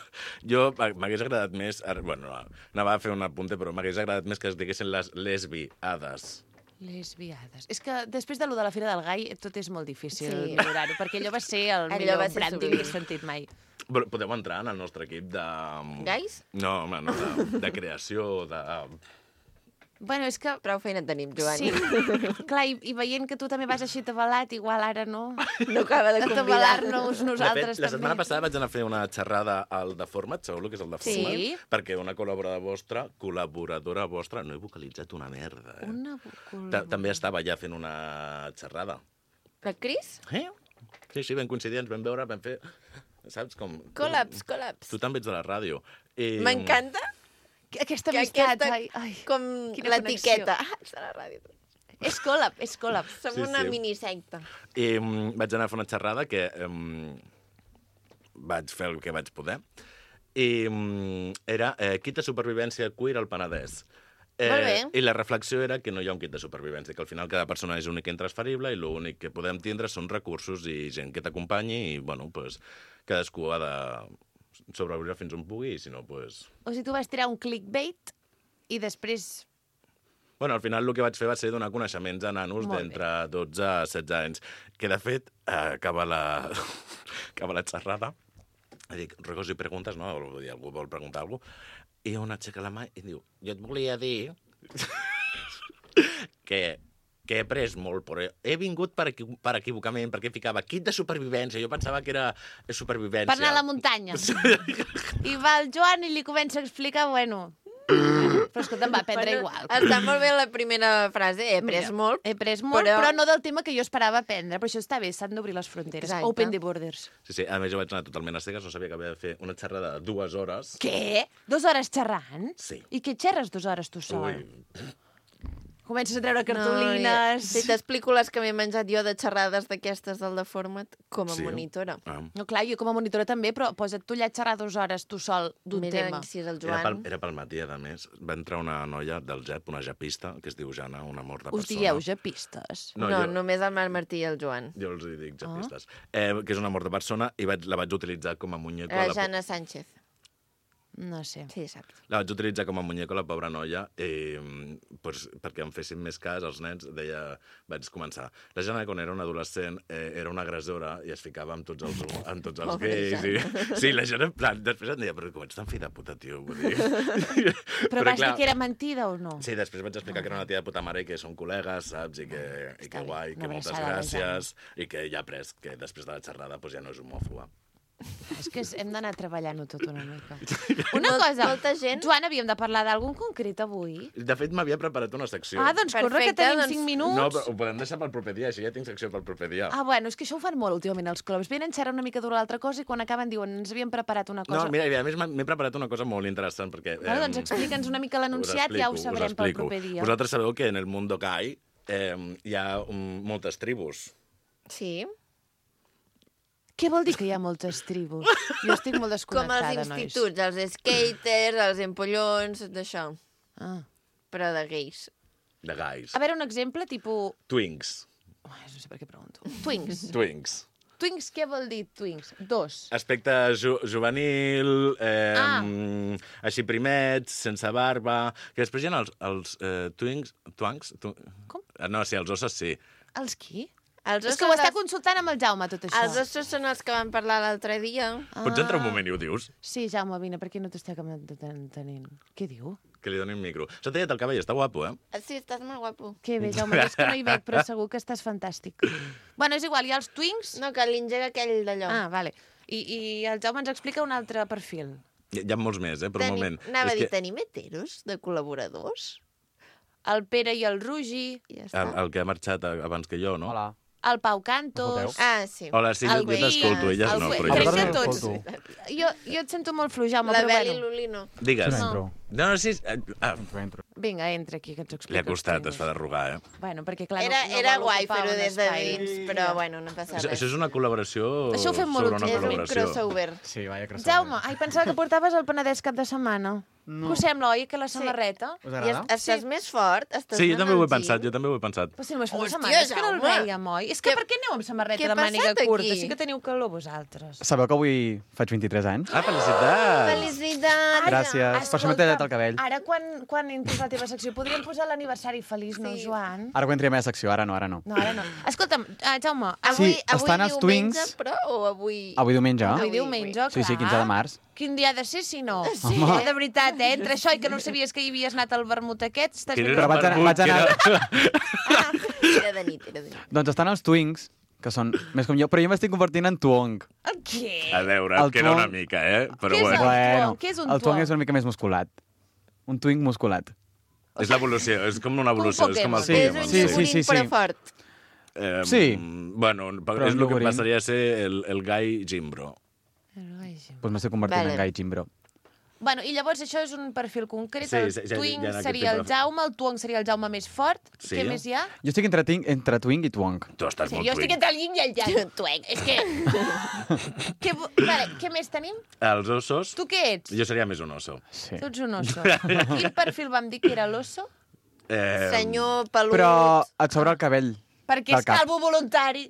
Jo m'hagués agradat més... Bueno, anava a fer un apunte, però m'hagués agradat més que es diguessin les lesbiades. Lesbiades. És que després de lo de la Fira del Gai tot és molt difícil millorar-ho, perquè allò va ser el millor branding que he sentit mai. Podeu entrar en el nostre equip de... Gais? No, home, no, de creació, de... Bueno, és que... Prou feina tenim, Joan. Sí. Clar, i veient que tu també vas així atabalat, igual ara no... No acaba de combinar. Atabalar-nos nosaltres la també. setmana passada vaig anar a fer una xerrada al de Format, sabeu el que és el de Format? Sí. Perquè una col·laboradora vostra, no he vocalitzat una merda. Una També estava ja fent una xerrada. La Cris? Sí, vam coincidir, ens vam veure, vam fer... Saps com... Col·laps. Tu també ets de la ràdio. M'encanta aquesta amistat. Com l'etiqueta. Ets de la ràdio. És col·lap. Som una minisecta. I vaig anar a fer una xerrada que vaig fer el que vaig poder. I era kit de supervivència queer al Penedès. Molt bé. I la reflexió era que no hi ha un kit de supervivència, que al final cada persona és única i intransferible i l'únic que podem tindre són recursos i gent que t'acompanyi i, bueno, pues, cadascú ha de sobreviure fins on pugui i, si no, pues... O sigui, tu vas tirar un clickbait i després... Bueno, al final el que vaig fer va ser donar coneixements a nanos d'entre 12 a 16 anys, que de fet acaba la xerrada, i dic, ruegos i preguntes, no? Algú vol preguntar alguna cosa, i una aixeca la mà i diu, jo et volia dir que he après molt, però he vingut per equivocament, perquè ficava kit de supervivència, jo pensava que era supervivència. Per anar a la muntanya. I va el Joan i li comença a explicar, bueno... Però escolta, em va aprendre igual. Està molt bé la primera frase, he après molt. He après molt, però no del tema que jo esperava aprendre. Però això està bé, s'han d'obrir les fronteres. Exacte. Open the borders. Sí, a més jo vaig anar totalment a cegues, no sabia que havia de fer una xerrada de 2 hores. Què? 2 hores xerrant? Sí. I què xerres 2 hores tu sol? Ui. Comences a treure cartolines... Si t'explico les que m'he menjat jo de xerrades d'aquestes del de Format com a monitora. No, clar, jo com a monitora també, però posa't tu allà a xerrar 2 hores tu sol d'un tema. Mira, si és el Joan... Era pel matí, a més. Va entrar una noia del JEP, una japista, que es diu Jana, un amor de persona. Us dieu japistes? No, només el Marc Martí i el Joan. Jo els dic japistes. Que és un amor de persona i la vaig utilitzar com a muñeco... La Jana Sánchez. No sé. Sí, saps. La vaig utilitzar com a muñeco, la pobra noia, pues, perquè em fessin més cas els nens, vaig començar. La Jana, quan era una adolescent, era una agressora i es ficava amb tots els gais. Sí, la Jana, en plan, després em deia, però com ets tan fi de puta, tio? Vull dir... Però vas dir que era mentida o no? Sí, després vaig explicar que era una tia de puta mare i que són col·legues, saps? I que guai, que moltes gràcies, i que ja après que després de la xerrada pues, ja no és homòfoba. És que hem d'anar treballant-ho tot una mica. Una cosa, Joan, havíem de parlar d'algun concret avui? De fet, m'havia preparat una secció. Doncs corre, que tenim 5 minuts. No, però ho podem deixar pel proper dia, així ja tinc secció pel proper dia. Bueno, és que això ho fan molt últimament els clubs. Venen, xerrar una mica d'una altra cosa i quan acaben diuen ens havíem preparat una cosa. No, mira, a més m'he preparat una cosa molt interessant perquè... Doncs explica'ns una mica l'anunciat, ja ho sabrem pel proper dia. Vosaltres sabeu que en el Mundo Kai hi ha moltes tribus. Sí. Què vol dir que hi ha moltes tribus? Jo estic molt desconnectada, nois. Com els instituts, els skaters, els empollons, d'això. Però de gais. De gais. A veure, un exemple, tipus... Twinks. No sé per què pregunto. Twinks. Twinks, què vol dir twinks? 2. Aspecte juvenil, així primets, sense barba... Que després hi ha els twinks... Com? No, sí, els ossos sí. Els qui? És que ho està consultant amb el Jaume, tot això. Els ossos són els que vam parlar l'altre dia. Pots entrar un moment i ho dius? Sí, Jaume, vine, perquè no t'estic entenent. Què diu? Que li doni un micro. S'ha tallat el cabell, està guapo, Sí, estàs molt guapo. Que bé, Jaume, és que no hi veig, però segur que estàs fantàstic. Bueno, és igual, hi ha els twinks... No, que l'engega aquell d'allò. Vale. I el Jaume ens explica un altre perfil. Hi ha molts més, per un moment. Anava a dir, tenim heteros de col·laboradors? El Pere i el Rugi... El que ha marxat abans que jo, no? Hola. El Pau Cantos... Sí. Hola, sí, jo t'escolto, elles no, però Crec que jo... tots. Jo et sento molt fluix, Jaume, La però Bel i bueno. l'Olino. Digues. No, sí... Vinga, entra aquí, que ens ho expliques. Li ha costat, es fa d'arrugar, Bueno, perquè clar... Era guai fer-ho des de dins, però bueno, no passa res. Això és una col·laboració sobre una col·laboració. És un crossover. Sí, vaya crossover. Jaume, pensava que portaves el Penedès cap de setmana. Que us sembla, oi, que la samarreta? Us I agrada? estàs més fort? Estàs Sí, jo anant també ho he al pensat, gim? jo també ho he pensat. Però si només fa una Hòstia, setmana, és que no el Jaume. veiem, oi? És que per què aneu amb samarreta Què de ha màniga passat curta? aquí? Sí que teniu calor vosaltres. Sabeu que avui faig 23 anys? Ah, felicitats! Felicitats! Gràcies. Per això m'he tallat el cabell. Ara, quan entris a la teva secció, podríem posar l'aniversari feliç, no, Joan? Ara quan entri a la meva secció, ara no. No, ara no. Escolta'm, Jaume, Avui, Sí, estan els diumenge, Twinks. però, o avui... Avui diumenge. avui diumenge, Sí, sí, clar. 15 de març. Quin dia ha de ser, si no? Sí. Home. De veritat, entre això i que no sabies que hi havies anat al vermut aquest, estàs Quin ben... era Però vaig anar- vermut, vaig anar- que era- Era de nit, era de nit. Doncs estan els Twinks, que són més com jo, però jo m'estic convertint en Twong. Què? A veure, El queda una Twong. mica, però Què és bueno. el Twong? Què és un el Twong Twong? és una mica més musculat. Un Twink musculat. És l'evolució, és com una evolució, és com els Sí, És Pokémon. un sí, llumín, sí, sí. però fort. Sí. Bueno, Però és un el que llogorín. passaria a ser el Guy Jimbro. Doncs m'estic convertint Vale. en Gai Jimbro. Bueno, i llavors això és un perfil concret. Sí, El sí, ja Twink hi ha aquest seria el tipus de- Jaume, el Twong seria el Jaume més fort. Sí. Què més hi ha? Jo estic entre Twink i Twong. Tu estàs Sí, molt jo estic twink. entre el yin i el yang. Twink. És que... Vale, què més tenim? Els ossos, Tu què ets? jo seria més un oso. Sí. Tu ets un oso. Quin perfil vam dir que era l'oso? Senyor pelut Però et sobra el cabell. Perquè del és cap. calvo voluntari.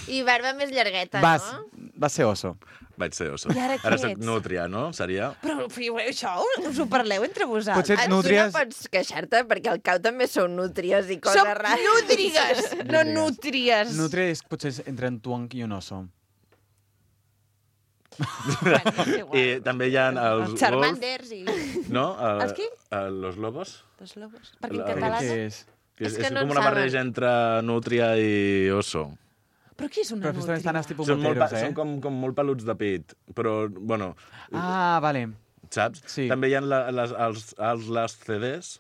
i barba més llargueta, Vas no? ser oso. Vaig ser oso. I ara què Ara soc ets? nútria, no? Seria... Però això us ho parleu entre vosaltres. Potser Tu nútries... no pots queixar-te, perquè al cau també són nútries i coses Som rares. nútrigues, no nútries. Nútria és potser entre un Twong i un oso. Bueno, és igual. I també hi ha els wolf, Charmanders i... no? Els qui? Los lobos. Los lobos. Perquè en La- català... Què no? és? Que És és, que és no com en una saben. barreja entre nútria i oso. Però què és una Però després estan nútria? els tipus Són, moteros, són com molt peluts de pit, però, bueno, Ah, vale. saps? Sí. També hi ha les CDs.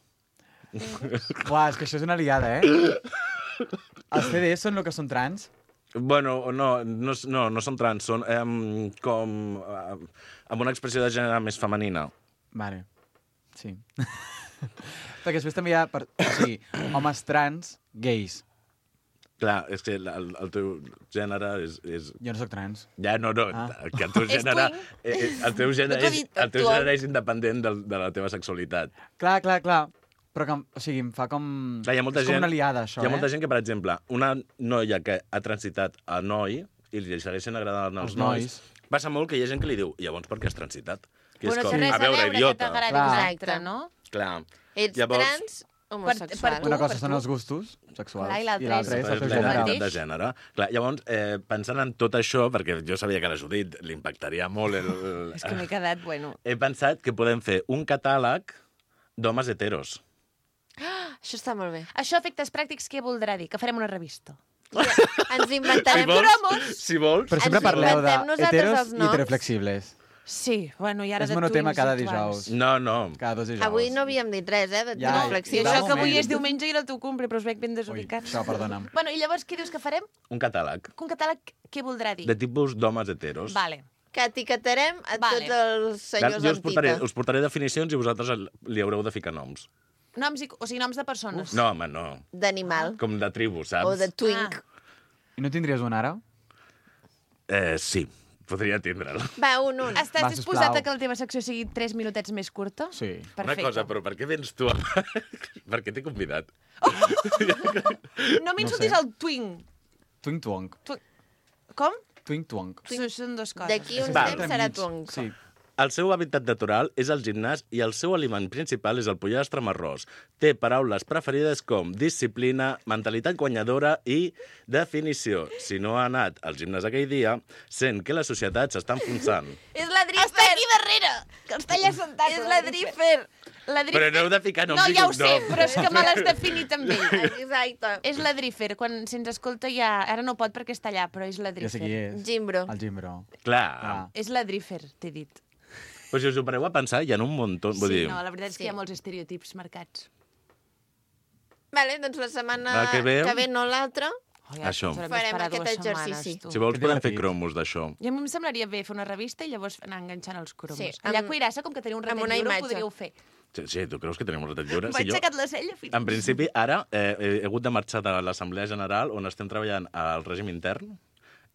Uah, és que això és una liada, Els CDs són el que són trans? Bueno, no són trans, són com amb una expressió de gènere més femenina. Vale, sí. Perquè després també hi ha, o sigui, homes trans, gais. Clar, és que el teu gènere és... Jo no sóc trans. Ja, no, Ah. que el teu És gènere... twin. El teu gènere, No t'ho he dit, el teu actual. gènere és independent de la teva sexualitat. Clar. Però que, o sigui, em fa com... Clar, hi ha molta és com gent, una liada, això, hi ha molta gent que, per exemple, una noia que ha transitat a noi i li segueixen agradant els Els nois, nois. passa molt que hi ha gent que li diu llavors per què has transitat? Que Bueno, és com, té res a veure, que idiota. t'agradi Clar. un altre, no? Clar. Ets Llavors- trans homosexual. tu, Una cosa per són tu. els gustos sexuals Clar, i l'altre l'altra és és el teu el gènere. mateix. de gènere. Clar, llavors, pensant en tot això, perquè jo sabia que a la Judit li impactaria molt És que m'he quedat, bueno... he pensat que podem fer un catàleg d'homes heteros. Això està molt bé. Això, efectes pràctics, què voldrà dir? Que farem una revista. Ens inventarem... Si vols, Però sempre Ens parleu inventem nosaltres d'heteros els i noms. heteroflexibles. Sí, bueno, i ara És de monotema twins cada actuals. dijous. No. Cada 2 dijous. Avui no havíem dit res, de Ja, I reflexió. va, això que avui moment. és diumenge i era el teu cumple, però us veig ben Ui, desubicats. això, perdona'm. Bueno, i llavors què dius que farem? un catàleg Un catàleg, què voldrà dir? de tipus d'homes heteros. Vale. Que etiquetarem a Vale. tots els senyors Jo amb tita. us portaré definicions i vosaltres li haureu de ficar noms. Noms, o sigui, noms de persones. No, home, no. D'animal. Com de tribu, saps? O de twink. I no tindries un ara? Sí, podria tindre'l. Va, un. Estàs Va, disposat sisplau. a que la teva secció sigui 3 minutets més curta? Sí. Perfecte. Una cosa, però per què vens tu? Per què t'he convidat? No m'insultis sé. el twing. Twink Twong. Com? Twink Twong. Són dues coses. D'aquí un Va. temps serà twink. Sí. El seu hàbitat natural és el gimnàs i el seu aliment principal és el pollastre amb arròs. Té paraules preferides com disciplina, mentalitat guanyadora i definició. Si no ha anat al gimnàs aquell dia, sent que la societat s'està enfonsant. És la Drifer! Està aquí darrere! Que està allà sentat. És la Drifer! La Però no heu de ficar noms No, i ja ho sé, cognoms. però és que me l'has definit amb ell. Exacte. És la Drifer. Quan se'ns escolta ja... Ara no pot perquè està allà, però és la Ja sé Drifer. qui és. Gimbro. El Gimbro. Clar. Ah. És la Drifer, t'he dit. Però si us ho pareu a pensar, hi ha un muntó. Vull Sí, dir, no, la veritat és que Sí. hi ha molts estereotips marcats. Vale, doncs la setmana La que ve- no l'altra. Oh, Això. ens haurem Farem d'esperar aquest 2 setmanes, exercici. tu. si vols Que podem fer divertit. cromos d'això. I a mi em semblaria bé fer una revista i llavors anar enganxant els cromos. Sí, Allà a amb- Cuirassa, com que teniu un amb ratet una lliure, ho imatge. podríeu fer. Sí, tu creus que tenim un ratet lliure? M'ha Sí, jo, aixecat la cella fins... en principi, ara he hagut de marxar de l'Assemblea General on estem treballant al règim intern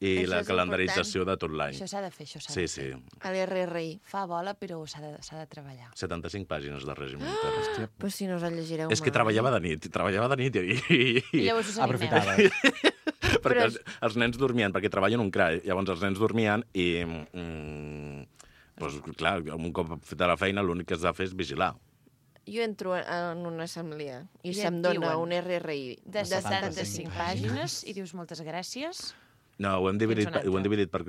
i Això la és calendarització de tot l'any. Això s'ha de fer, això s'ha Sí, de sí. fer. A l'RRI. Fa bola, però s'ha de treballar. 75 pàgines de règim militar. Però si no us el llegireu És que mai. treballava de nit I llavors us animeu. Aprofitava. perquè els nens dormien, perquè treballen un CRA, llavors els nens dormien i, doncs, clar, un cop feta la feina, l'únic que has de fer és vigilar. Jo entro en una assemblea i I se'm et dona diuen un RRI De 75 pàgines i dius moltes gràcies. No, ho hem dividit, Tens un altre. ho hem dividit per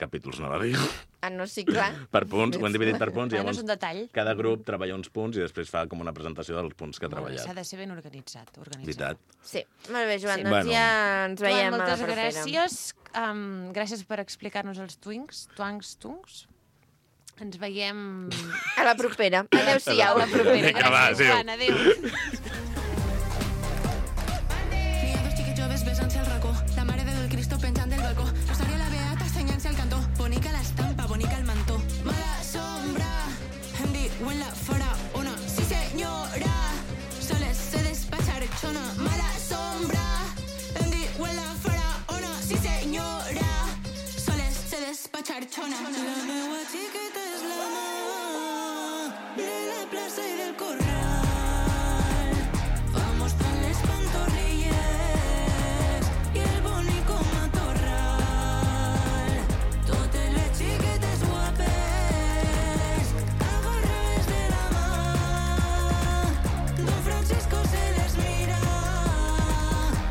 capítols, no va dir? Ah, no, sí, clar. Per punts, ho hem dividit per punts, i Bueno, llavors és un detall. cada grup treballa uns punts i després fa com una presentació dels punts que ha Molt bé, treballat. s'ha de ser ben organitzat. Veritat. Sí, molt bé, Joan, Sí. doncs Bueno. ja ens veiem Joan, a la moltes propera. gràcies. Gràcies per explicar-nos els tungs. Ens veiem... A la propera. Adéu-siau. A la propera. Vinga, va, Gràcies, adéu. Joan. Adéu. Ni a dos xiquets joves besant-se al racó, la mare de del Cristo penjant del balcó, Rosario la beata assenyant-se al cantó, bonica l'estampa, bonica el mantó. Mala sombra, em diuen la faraona, sí senyora, soles se despachar chona. Mala sombra, em diuen la faraona, sí senyora, soles se despachar chona. La meua xiqueta és la mà de la plaça i del corral. Vamos con les pantorrilles i el bonico matorral. Totes les xiquetes guapes agarrades de la mà. Don Francisco se les mira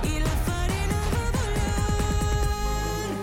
i la farina va volant.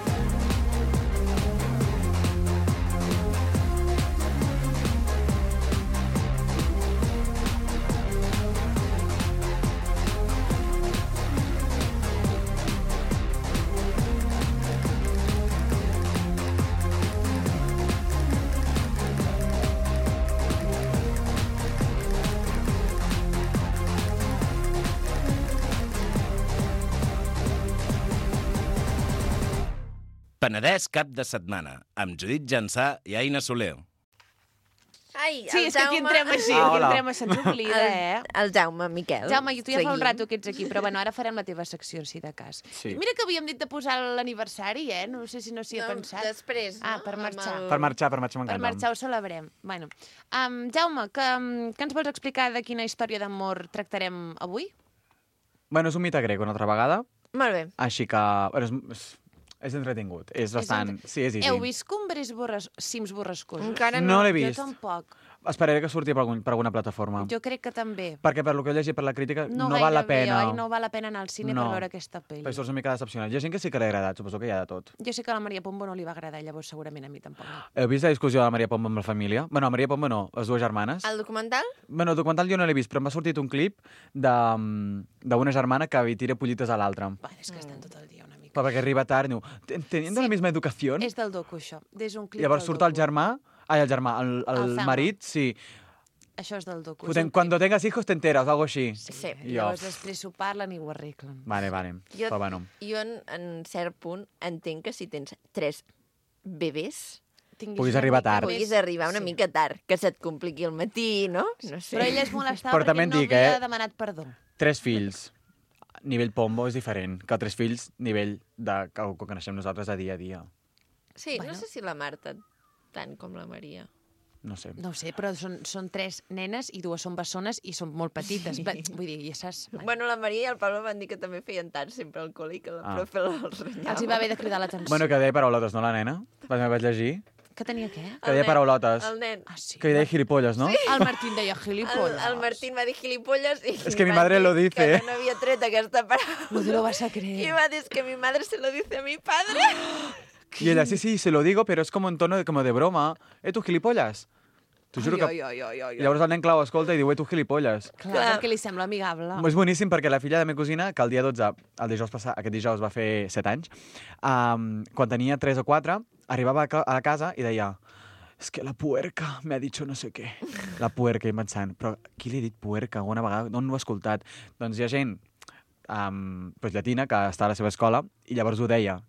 Penedès cap de setmana, amb Judit Jansà i Aina Soler. Ai, Sí, el és que aquí Jaume... entrem així, Ah, aquí hola. entrem, se'ns oblida, El Jaume, Miquel. Jaume, tu ja fa un Seguim. rato que ets aquí, però bueno, ara farem la teva secció, si de cas. Sí. Mira que havíem dit de posar l'aniversari, No sé si no s'hi ha pensat. Després, Ah, no? per marxar. Amb Per marxar Per m'encanta. marxar ho celebrem. Bueno, Jaume, que ens vols explicar de quina història d'amor tractarem avui? Bueno, és un mite grec una altra vegada, Molt bé. així que... Bueno, és entretingut. És bastant... Sí, és easy. Heu vist Cumbres cims borrascosos? Encara No no. l'he vist. Jo tampoc. Esperaré que surti per alguna plataforma. Jo crec que també. Perquè per lo que he llegit per la crítica no gaire val la bé, pena. oi? No val la pena anar al cine No. per veure aquesta pel·li. Perquè surts una mica decepcionat. Hi ha gent que sí que li ha agradat, suposo que hi ha de tot. Jo sé que a la Maria Pombo no li va agradar, llavors segurament a mi tampoc. No. Heu vist la discussió de la Maria Pombo amb la família? Bueno, la Maria Pombo no, les dues germanes. El documental? Bueno, el documental jo no l'he vist, però m'ha sortit un clip d'una germana que li tira pollites a l'altra. Bueno, és que estan tot el dia una mica. Perquè arriba tard i diu, teniendo la misma educación. És del docu, això. És un clip Llavors del surt docu. el germà, el Thelma. marit, sí. Això és del docu. Cuando tengas hijos te enteras, o algo així. Sí. Llavors després s'ho parlen i ho arreglen. Vale. Però bueno. Jo en cert punt entenc que si tens 3 bebès Tinguis Puguis una arribar mica tard. més- puguis arribar una Sí. mica tard, que se't compliqui el matí, no? No sé. Però ella es molestava Però també perquè et dic, no havia eh? demanat perdó. 3 fills, nivell Pombo és diferent que 3 fills, nivell de que coneixem nosaltres a dia. Sí, Bueno. no sé si la Marta tant com la Maria. No sé. No ho sé, però són 3 nenes i 2 són bessones i són molt petites. Vull dir, ja saps... Bueno, la Maria i el Pablo van dir que també feien tard sempre al col·le i que la profe els renyava. Els hi va haver de cridar l'atenció. Bueno, que deia paraulotes, no, la nena? Vaig llegir. Que tenia què? Que deia paraulotes. El nen. Ah, sí. Que deia gilipolles, no? El Martín deia gilipolles. El Martín va dir gilipolles i Es que mi va madre dir lo dice. que no havia tret aquesta paraula. No te lo vas a I creer. va dir, es que mi madre se lo dice a mi padre. Y ella, sí, se lo digo, pero es como en tono como de broma. Tu gilipolles? T'ho juro que... I llavors el nen clau escolta i diu, tu gilipolles. Clar, perquè li sembla amigable. És boníssim perquè la filla de la meva cosina, que el dia 12, el dijous passat, aquest dijous va fer 7 anys, quan tenia 3 o 4, arribava a casa i deia es que la puerca me ha dicho no sé què. La puerca, i pensant, però qui li ha dit puerca alguna vegada? On ho ha escoltat? Doncs hi ha gent pues, llatina que està a la seva escola i llavors ho deia,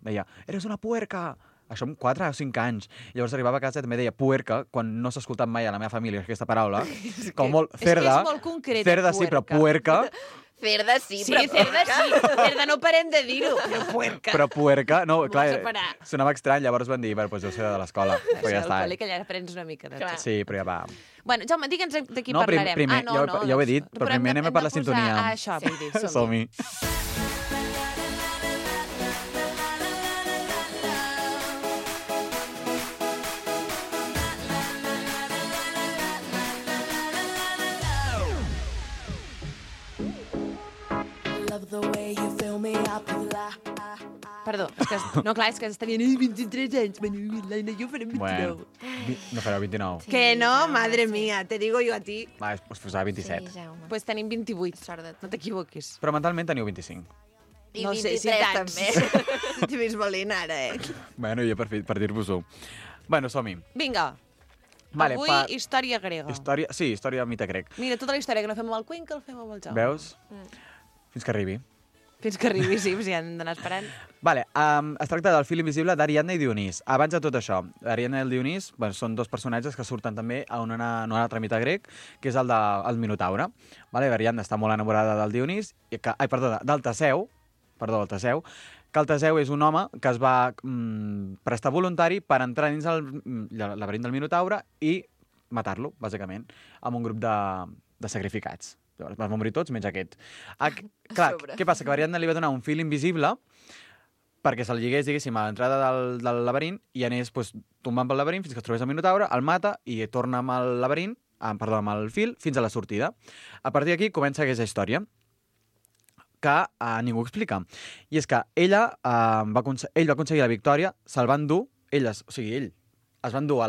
eres una puerca! Això amb 4 o 5 anys. Llavors arribava a casa i també deia puerca, quan no s'ha escoltat mai a la meva família aquesta paraula. Com molt cerda. És molt concreta, Cerda sí, però puerca. Cerda sí, Sí, cerda sí. Cerda no parem de dir-ho, però puerca. Però puerca, no, M'ho clar, vas a parar. sonava estrany, llavors van dir, bueno, doncs deu ser de l'escola, però ja Al està. col·le, que allà aprens una mica de tot. Sí, però ja va. Bueno, Jaume, digue'ns de qui No, parlarem. primer, ja ho he dit, però primer anem a per la hem de posar- sintonia. això, vull dir, som-hi. Som-hi. Love the way you fill me up with life. Perdó, és que, no, clar, és que estarien 23 anys, l'Aina i jo farem 29. Bueno, no fareu 29. Que no, madre mía, te digo yo a ti. Va, us posava 27. Sí, Jaume. Pues tenim 28, Sort de tu. no t'equivoquis. Però mentalment teniu 25. I No sé si 23 tants. també. T'he vist valent ara, Bueno, jo per dir-vos-ho. Bueno, som-hi. Vinga, Vale, avui història grega. Història, sí, història mite grec. Mira, tota la història que no fem amb el Cuenca, el fem amb el Jaume. Veus? Fins que arribi. Fins que arribi, sí, si han d'anar esperant. Vale, es tracta del fil invisible d'Ariadna i Dionís. Abans de tot això, Ariadna i el Dionís són dos personatges que surten també a en un altre mite grec, que és el del Minotaure. Vale, Ariadna està molt enamorada del Dionís, del Teseu, el Teseu, que el Teseu és un home que es va prestar voluntari per entrar dins el laberint del Minotaure i matar-lo, bàsicament, amb un grup de sacrificats. Llavors van morir tots, menys aquest. Clar, què passa? Que Ariadna li va donar un fil invisible perquè se'l lligués, diguéssim, a l'entrada del laberint i anés tombant pel laberint fins que es trobés el Minotaure, el mata i torna amb el laberint, amb el fil, fins a la sortida. A partir d'aquí comença aquesta història que ningú explica. I és que ell va aconseguir la victòria, se'l van dur, ell es va endur a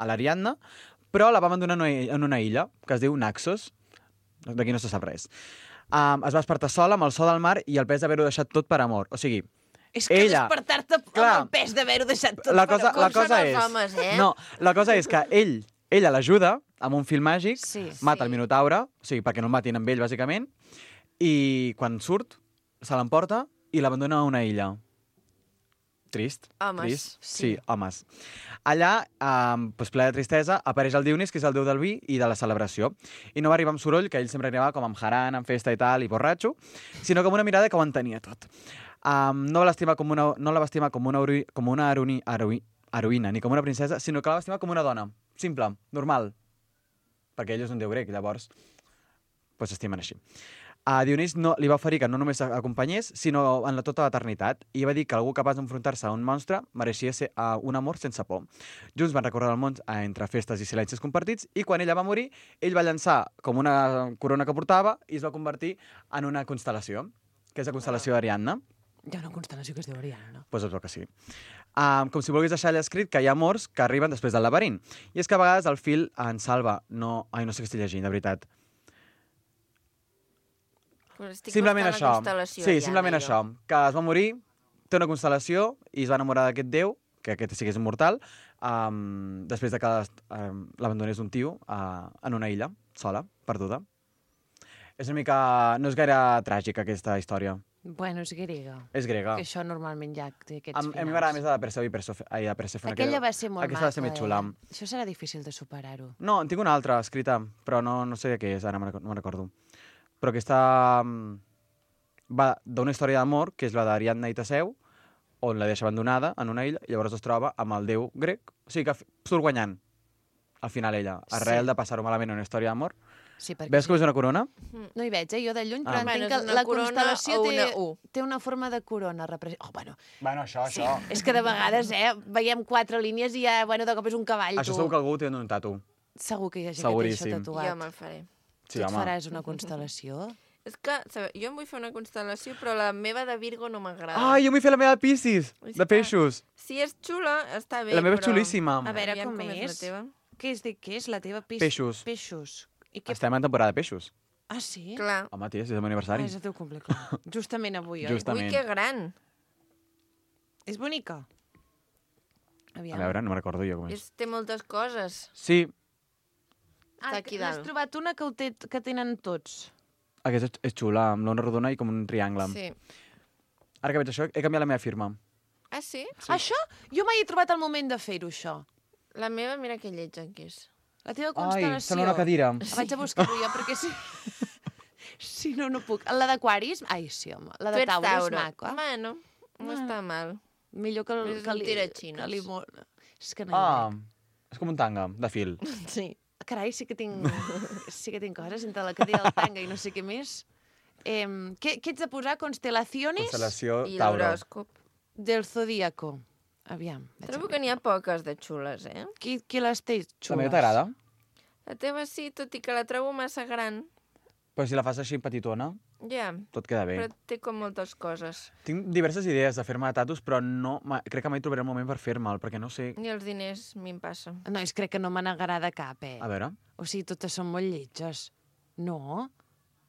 l'Ariadna, però la va abandonar en una illa que es diu Naxos. D'aquí no se sap res. Es va despertar sola amb el so del mar i el pes d'haver-ho deixat tot per amor. O sigui, És que ella, despertar-te amb el pes d'haver-ho deixat tot la per cosa, amor. la cosa és, homes, eh? no, la cosa és que ella l'ajuda amb un fil màgic, Sí, mata el Minotaure, o sigui, perquè no el matin amb ell, bàsicament, i quan surt, se l'emporta i l'abandona a una illa. Trist. Homes. Trist. Sí. Sí, homes. Allà, ple de tristesa, apareix el Dionís, que és el déu del vi i de la celebració. I no va arribar amb soroll, que ell sempre arribava com amb jarana, amb festa i tal, i borratxo, sinó com una mirada que ho entenia tot. No la va estimar com una heroïna, ni com una princesa, sinó que la va estimar com una dona. Simple, normal. Perquè ell és un déu grec, llavors s'estimen així. A Dionís li va oferir que no només acompanyés, sinó en tota l'eternitat, i va dir que algú capaç d'enfrontar-se a un monstre mereixia ser un amor sense por. Junts van recórrer el món entre festes i silencis compartits, i quan ella va morir, ell va llançar com una corona que portava i es va convertir en una constel·lació, que és la constel·lació d'Ariadna. Hi ha una constel·lació que es diu Ariadna, no? Doncs es veu que sí. Com si volgués deixar allà escrit que hi ha amors que arriben després del laberint. I és que a vegades el fil ens salva. No sé què estic llegint, de veritat. Simplement això. Sí, simplement això. Que es va morir, té una constel·lació i es va enamorar d'aquest déu, que aquest sí que és immortal, després de que l'abandonés un tio en una illa, sola, perduda. És una mica... No és gaire tràgica, aquesta història. Bueno, és grega. És grega. Que això normalment ja té aquests A mi finals. m'agrada més la de Perseu i Persèfone. Aquella va ser molt Aquesta va ser més xula. Això serà difícil de superar-ho. No, en tinc una altra escrita, però no sé què és, ara no me'n recordo. Però aquesta va d'una història d'amor, que és la d'Ariadna i Teseu, on la deixa abandonada en una illa, i llavors es troba amb el déu grec. O sigui que surt guanyant, al final ella, arrel de passar-ho malament en una història d'amor. Sí, perquè Veus com és una corona? No hi veig, jo de lluny, però entenc Bueno, és que una la corona constel·lació o una U. té una forma de corona. Bueno, Bueno, això. és que de vegades, veiem 4 línies i ja, de cop és un cavall, Això tu. segur que algú té un tatu. Segur que hi ha gent Seguríssim. que té això tatuat. Jo me'l faré. Sí, Tu et home. faràs una constel·lació? És que, jo em vull fer una constel·lació, però la meva de Virgo no m'agrada. Ai, jo vull fer la meva de Piscis, de peixos. Si és xula, està bé, La meva és però... xulíssima. A veure, Aviam com la és? teva. Què és la teva Peixos. Peixos. I què... Estem en temporada de peixos. Ah, sí? Clar. Home, tia, si és el meu aniversari. Ah, és el teu cumple, clar. Justament avui, oi? Justament. Ui, que gran. És bonica? A veure, no me'n recordo jo com és. Té moltes coses. Sí, Ah, Està aquí n'has dalt. trobat una que tenen tots. aquesta és xula, amb l'ona rodona i com un triangle. Sí. Ara que veig això, he canviat la meva firma. Ah, sí? Això? Jo mai he trobat el moment de fer-ho, això. La meva, mira que lletja que és. La teva Ai, constel·lació. sembla una cadira. La vaig a buscar-ho jo, perquè sí. Sí, no puc. La d'Aquaris? Ai, sí, home. La de Tauro és maca. Bueno, no està mal. Millor que És un tiraxines. És que no hi veig. És com un tanga, de fil. Sí. Carai, sí que tinc coses entre la cadira del tanga i no sé què més. Què ets de posar? Constelaciones Constel·lació I Tauro. l'horòscop. del Zodíaco. Aviam. Trobo que n'hi ha poques de xules, Qui les té xules? També t'agrada? La teva sí, tot i que la trobo massa gran. Però si la fas així petitona, Ja, tot queda bé. però té com moltes coses. Tinc diverses idees de fer-me tatus, però crec que mai trobaré el moment per fer-me'l, perquè no sé... Ni els diners m'hi passa. No, crec que no me n'agrada cap, A veure... O sigui, totes són molt lletges. No?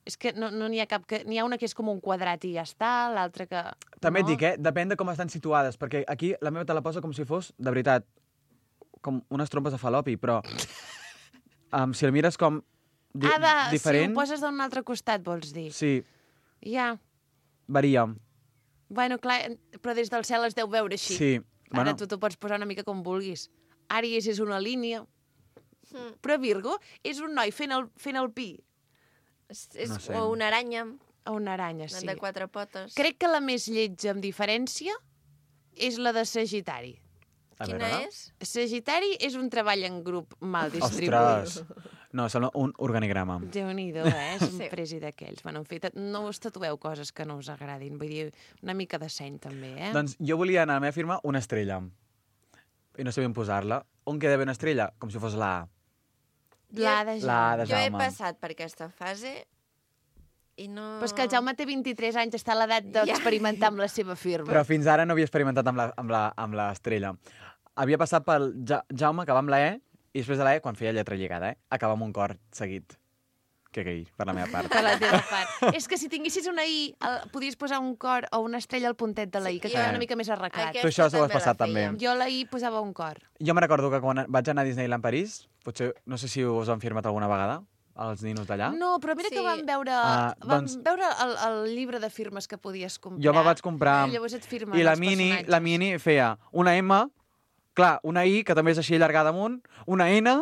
És que no n'hi ha cap... N'hi ha una que és com un quadrat i ja està, l'altra que... També et dic, depèn de com estan situades, perquè aquí la meva te la posa com si fos, de veritat, com unes trompes de falopi, però si el mires com diferent... Si ho poses d'un altre costat, vols dir? Sí, Ja. varia. Bueno, clar, però des del cel es deu veure així. Sí, Ara tu t'ho pots posar una mica com vulguis. Àries és una línia. Però Virgo és un noi fent el pi. És No sé. o una aranya, A una aranya, sí. de 4 potes. Crec que la més lletja amb diferència és la de Sagitari. A Quina veure. és? Sagitari és un treball en grup mal distribuït. Ostres! No, sembla un organigrama. Déu-n'hi-do, És un presi d'aquells. Bueno, en fi, no us tatueu coses que no us agradin. Vull dir, una mica de seny, també, Doncs jo volia anar a la meva firma una estrella. I no sé ben posar-la. On queda bé una estrella? Com si fos la A. La de La A de Jo he Jaume. passat per aquesta fase i no... Però és que el Jaume té 23 anys, està a l'edat d'experimentar amb la seva firma. Però fins ara no havia experimentat amb l'estrella. Havia passat pel Jaume, que va amb la E, i després de la E, quan feia lletra lligada, acaba amb un cor seguit. Que gay, per la meva part. Per la teva part. És que si tinguessis una I, podries posar un cor o una estrella al puntet de la I, que queda una mica més arreglat. Tu això s'ho has passat, també. Jo la I posava un cor. Jo me recordo que quan vaig anar a Disneyland París, potser, no sé si us ho han firmat alguna vegada, els ninos d'allà. No, però mira que vam veure, veure el llibre de firmes que podies comprar. Jo me vaig comprar... Llavors et firmen I la els mini personatges. feia una M, clar, una I, que també és així allargada amunt, una N,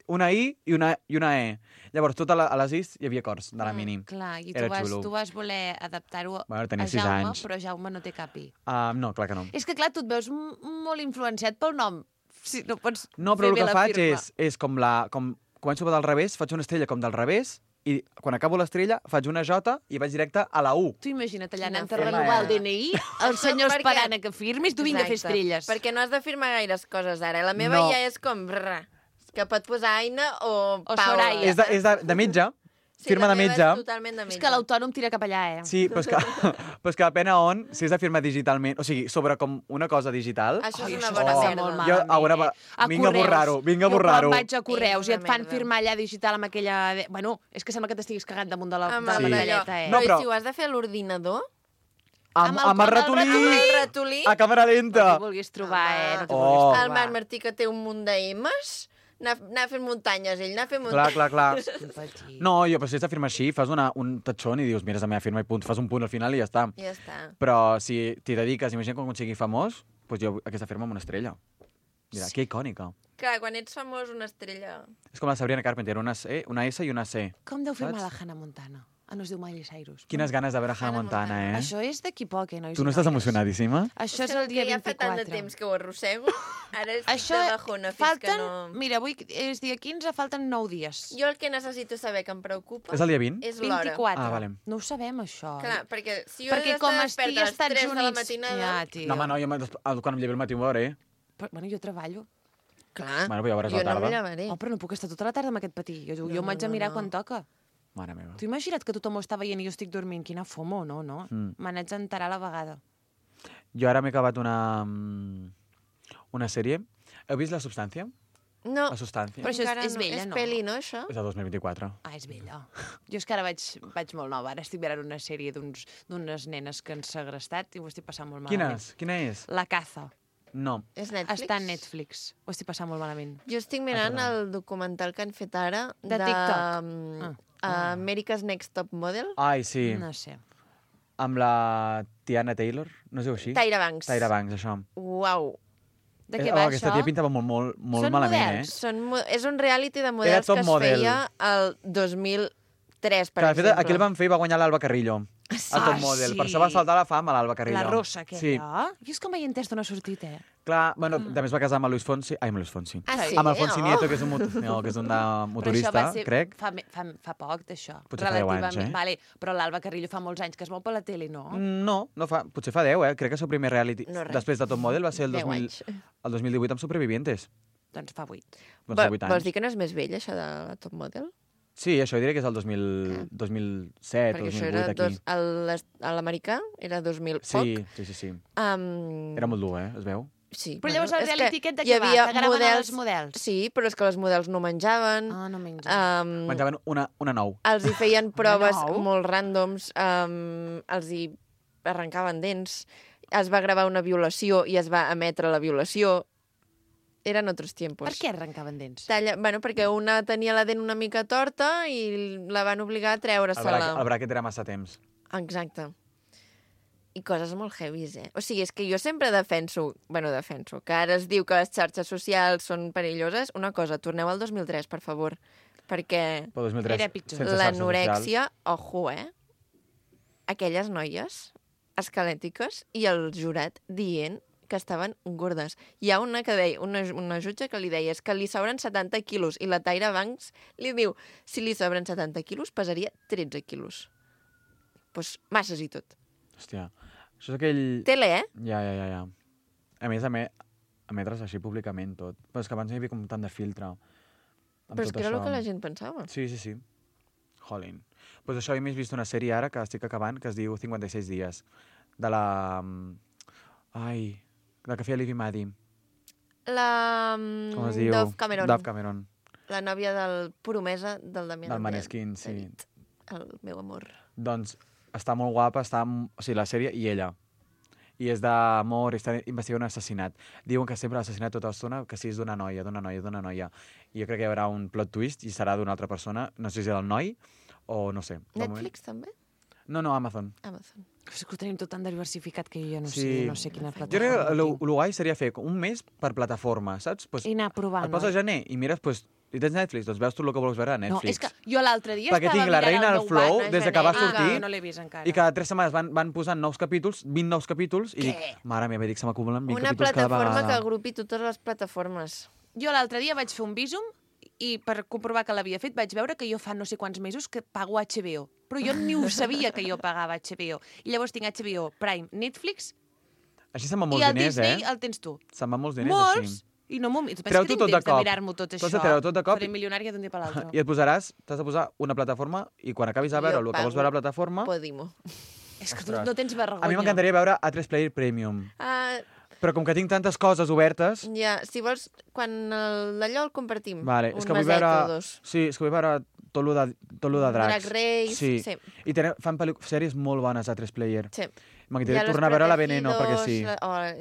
una I i una E. Llavors, tot a les Is hi havia cors de la mini. Clar, i Era xulo. tu vas voler adaptar-ho tenia a 6 Jaume, anys. però Jaume no té cap I. No, clar que no. És que, clar, tu et veus molt influenciat pel nom. Si no pots No, però fer el bé que la faig firma. és com començo del revés, faig una estrella com del revés, i quan acabo l'estrella faig una J i vaig directe a la U. Tu imagina't allà anant a firma, renovar el DNI, el senyor Perquè- esperant a que firmis, tu vinga a fer Exacte, estrelles. Perquè no has de firmar gaires coses ara. La meva No. ja és com... que pot posar Aina o Paula. Soraya. És de metge, Sí, firma la de meva metge. És totalment de metge. És que l'autònom tira cap allà, Sí, però és que depèn a on, si és de firma digitalment, o sigui, sobre com una cosa digital... Això és una això bona està merda. molt Jo, malament, vinga a Correus. borrar-ho, vinga a Jo borrar-ho. quan vaig a Correus És i una et fan merda. firmar allà digital amb aquella... Bueno, és que sembla que t'estiguis cagant damunt de la Amb medalleta, No, No, però- però... si ho has de fer a l'ordinador... Amb el ratolí, a càmera lenta. No t'hi vulguis trobar, no t'hi Oh. vulguis trobar. El Marc Martí, que té un munt d'M's, anar fent muntanyes, ell anar fent Clar, muntanyes. clar. No, jo, però si has de firmar així, fas un tatxon i dius, mira, és la meva firma i punt, fas un punt al final i ja està. Ja està. Però si t'hi dediques, imagina quan sigui famós, doncs jo aquesta firma amb una estrella. Mira, que icònica. Clar, quan ets famós, una estrella... És com la Sabrina Carpenter, una S i una C. Com deu firmar Saps? la Hannah Montana? No es diu Miley Cyrus. Quines ganes de veure Hannah Montana, eh? Això és d'aquí poc, nois Tu i no estàs noies. emocionadíssima? Això és el dia que ja fa tant de 24. temps que ho arrossego, ara estic Això de bajona fins falten... que no... Mira, avui és dia 15, falten 9 dies. Jo el que necessito saber que em preocupa... És el dia 20? És l'hora. 24. Ah, vale. No ho sabem, això. Clar, perquè si jo Perquè he d'estar com desperta estigui a als les Estats 3 de la Units... matinada... Ja, tio. No, home, no, jo quan em llevo al matí ho veuré. Però, bueno, jo treballo. Clar, Bueno, però ja veuràs jo la no tarda. em llevaré. Oh, però no puc estar tota la tarda amb aquest patí. Jo m'haig de mirar quan toca. Mare meva. Tu imagina't que tothom ho està veient i jo estic dormint. Quina fomo, no? Me n'haig d'enterar a la vegada. Jo ara m'he acabat una sèrie. Heu vist La Substància? No, La Substància. Però això encara és vella, és no? peli, no, això? És de 2024. Ah, és vella. Jo és que ara vaig molt nova. Ara estic mirant una sèrie d'unes nenes que han segrestat i ho estic passant molt malament. Quina és? La caza. No. És Netflix? Està a Netflix. Ho estic passant molt malament. Jo estic mirant el documental que han fet ara De TikTok. America's Next Top Model. Ai, sí. No sé. Amb la Tiana Taylor, no es diu així? Tyra Banks. Tyra Banks, això. Uau. De què va aquesta això? tia pintava molt Són malament, models? És un reality de models top que es model. feia el 2015 3, per Que, de fet, exemple. aquí el van fer i va guanyar l'Alba Carrillo. Sí. El top model. Per això va saltar a la fama l'Alba Carrillo. La rossa, aquella. Sí. Jo és que mai he entès d'on ha sortit, Clar, bueno, també es va casar amb el Luis Fonsi. Ai, amb el Luis Fonsi. Ah, sí? Amb el Fonsi Oh. Nieto, que és un, que és un motorista, Però això va ser crec. fa poc, d'això. Potser fa 10 anys, Relativament. Vale, però l'Alba Carrillo fa molts anys que es veu per la tele, no? No, potser fa 10, Crec que el seu primer reality No, res. després de Top Model va ser el 10 anys. 2018 amb Supervivientes. Doncs fa 8. Doncs fa 8 anys. Vols dir que no és més vell, això de la Top Model? Sí, això diré que és el 2007, Perquè això 2008, era aquí. a l'americà era 2000 Sí, poc. sí. Era molt dur, es veu? Sí. Però llavors el és reality que aquest de hi què va? havia Que graven els models? Sí, però és que les models no menjaven. Ah, no menjaven. Menjaven una nou. Els hi feien proves nou? molt ràndoms, els hi arrencaven dents, es va gravar una violació i es va emetre la violació. Eren altres tiempos. Per què arrencaven dents? Bueno, perquè una tenia la dent una mica torta i la van obligar a treure-se-la. El bracket era massa temps. Exacte. I coses molt heavies, O sigui, és que jo sempre defenso que ara es diu que les xarxes socials són perilloses. Una cosa, torneu al 2003, per favor, perquè Però 2003, Era pitjor. sense xarxes l'anorèxia, ojo, aquelles noies esquelètiques i el jurat dient que estaven gordes. Hi ha una que deia, una jutge que li deia és que li sobren 70 quilos i la Tyra Banks li diu si li sobren 70 quilos pesaria 13 quilos. Doncs masses i tot. Hòstia, això és aquell... Tele, Ja. A més, emetre's així públicament tot. Però és que abans hi havia com tant de filtre. Però és que era el que la gent pensava. Sí. Jolín. Pues això, he més vist una sèrie ara que estic acabant, que es diu 56 dies. De la... la que feia Liv i Maddie. Com es diu? Dove Cameron. Dove Cameron. La nòvia del promesa del Damià. Del Maneskin, sí. El meu amor. Doncs està molt guapa, o sigui, la sèrie i ella. I és d'amor, i està investigant un assassinat. Diuen que sempre l'assassinat tota l'estona, que sí és d'una noia. I jo crec que hi haurà un plot twist i serà d'una altra persona, no sé si del noi o no sé. Netflix també? No, Amazon. És que ho tenim tot tan diversificat que jo ja no sé quina Jo plataforma. crec que el guai seria fer un mes per plataforma, saps? Pues, I anar provant. et poses a gener i mires, i tens Netflix, doncs veus tot el que vols veure a No, Netflix. és que jo l'altre dia Perquè estava tinc La mirant Reina el del meu Flow, banc, des de que va sortir, jo no l'he vist encara. i cada 3 setmanes van posant nous capítols, 20 nous capítols, i dic, mare meva, se m'acumulen 20 Una capítols cada plataforma vegada. que agrupi totes les plataformes. Jo l'altre dia vaig fer un visum i per comprovar que l'havia fet vaig veure que jo fa no sé quants mesos que pago HBO. Però jo ni ho sabia que jo pagava HBO. I llavors tinc HBO, Prime, Netflix Així se'n van i molts el diners, Disney el tens tu. Se'n van molts diners, Molts! així. I no m'ho... Tu penses Treu-t'ho que tot tinc de temps de cop. mirar-m'ho tot Tu això? has de treure tot de cop Faré milionària d'un dia per l'altre. I et posaràs, t'has de posar una plataforma i quan acabis de veure el que vols veure a la plataforma... Podimo. És que tu no tens vergonya. A mi m'encantaria veure A3 Player Premium. Però com que tinc tantes coses obertes... Ja, si vols, quan d'allò el compartim. Vale, és que vull meset veure... o dos. Sí, és que vull veure tot lo de dracs. Drag Race, sí. I fan sèries molt bones a A3 Player. Sí. M'agradaria tornar a veure la Veneno, perquè sí.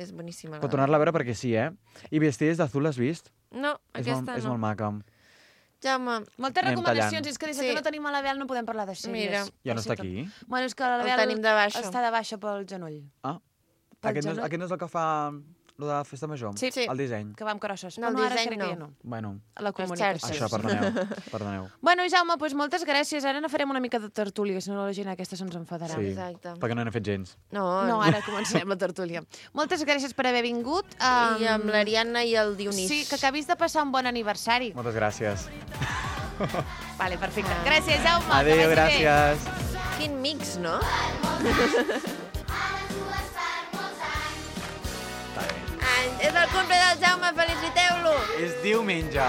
És boníssima. Però tornar-la a veure perquè sí, I Vestides d'Azul l'has vist? No, aquesta És no. molt maca. Jaume. Moltes Anem recomanacions, tallant. és que des que no tenim a la Bel no podem parlar de sèries. Mira. Ja no està aquí? Bueno, és que la El Bel tenim de baixa. està de baixa pel genoll. Ah, Pel aquest genoll. no és el que fa lo de la festa major? Sí. El disseny. Que va amb crosses. No, el Però ara disseny crec que ja no. no. Bueno, A la comunicació. això, perdoneu. Bueno, Jaume, doncs moltes gràcies. Ara no farem una mica de tertúlia, si no la gent aquesta se'ns enfadarà. Sí, Exacte. perquè no n'he fet gens. No, ara començarem la tertúlia. Moltes gràcies per haver vingut. I amb l'Ariadna i el Dionís. Sí, que acabis de passar un bon aniversari. Moltes gràcies. Vale, perfecte. Gràcies, Jaume. Adéu, que vagi bé. gràcies. Quin mix, no? És el cumple del Jaume, feliciteu-lo! És diumenge.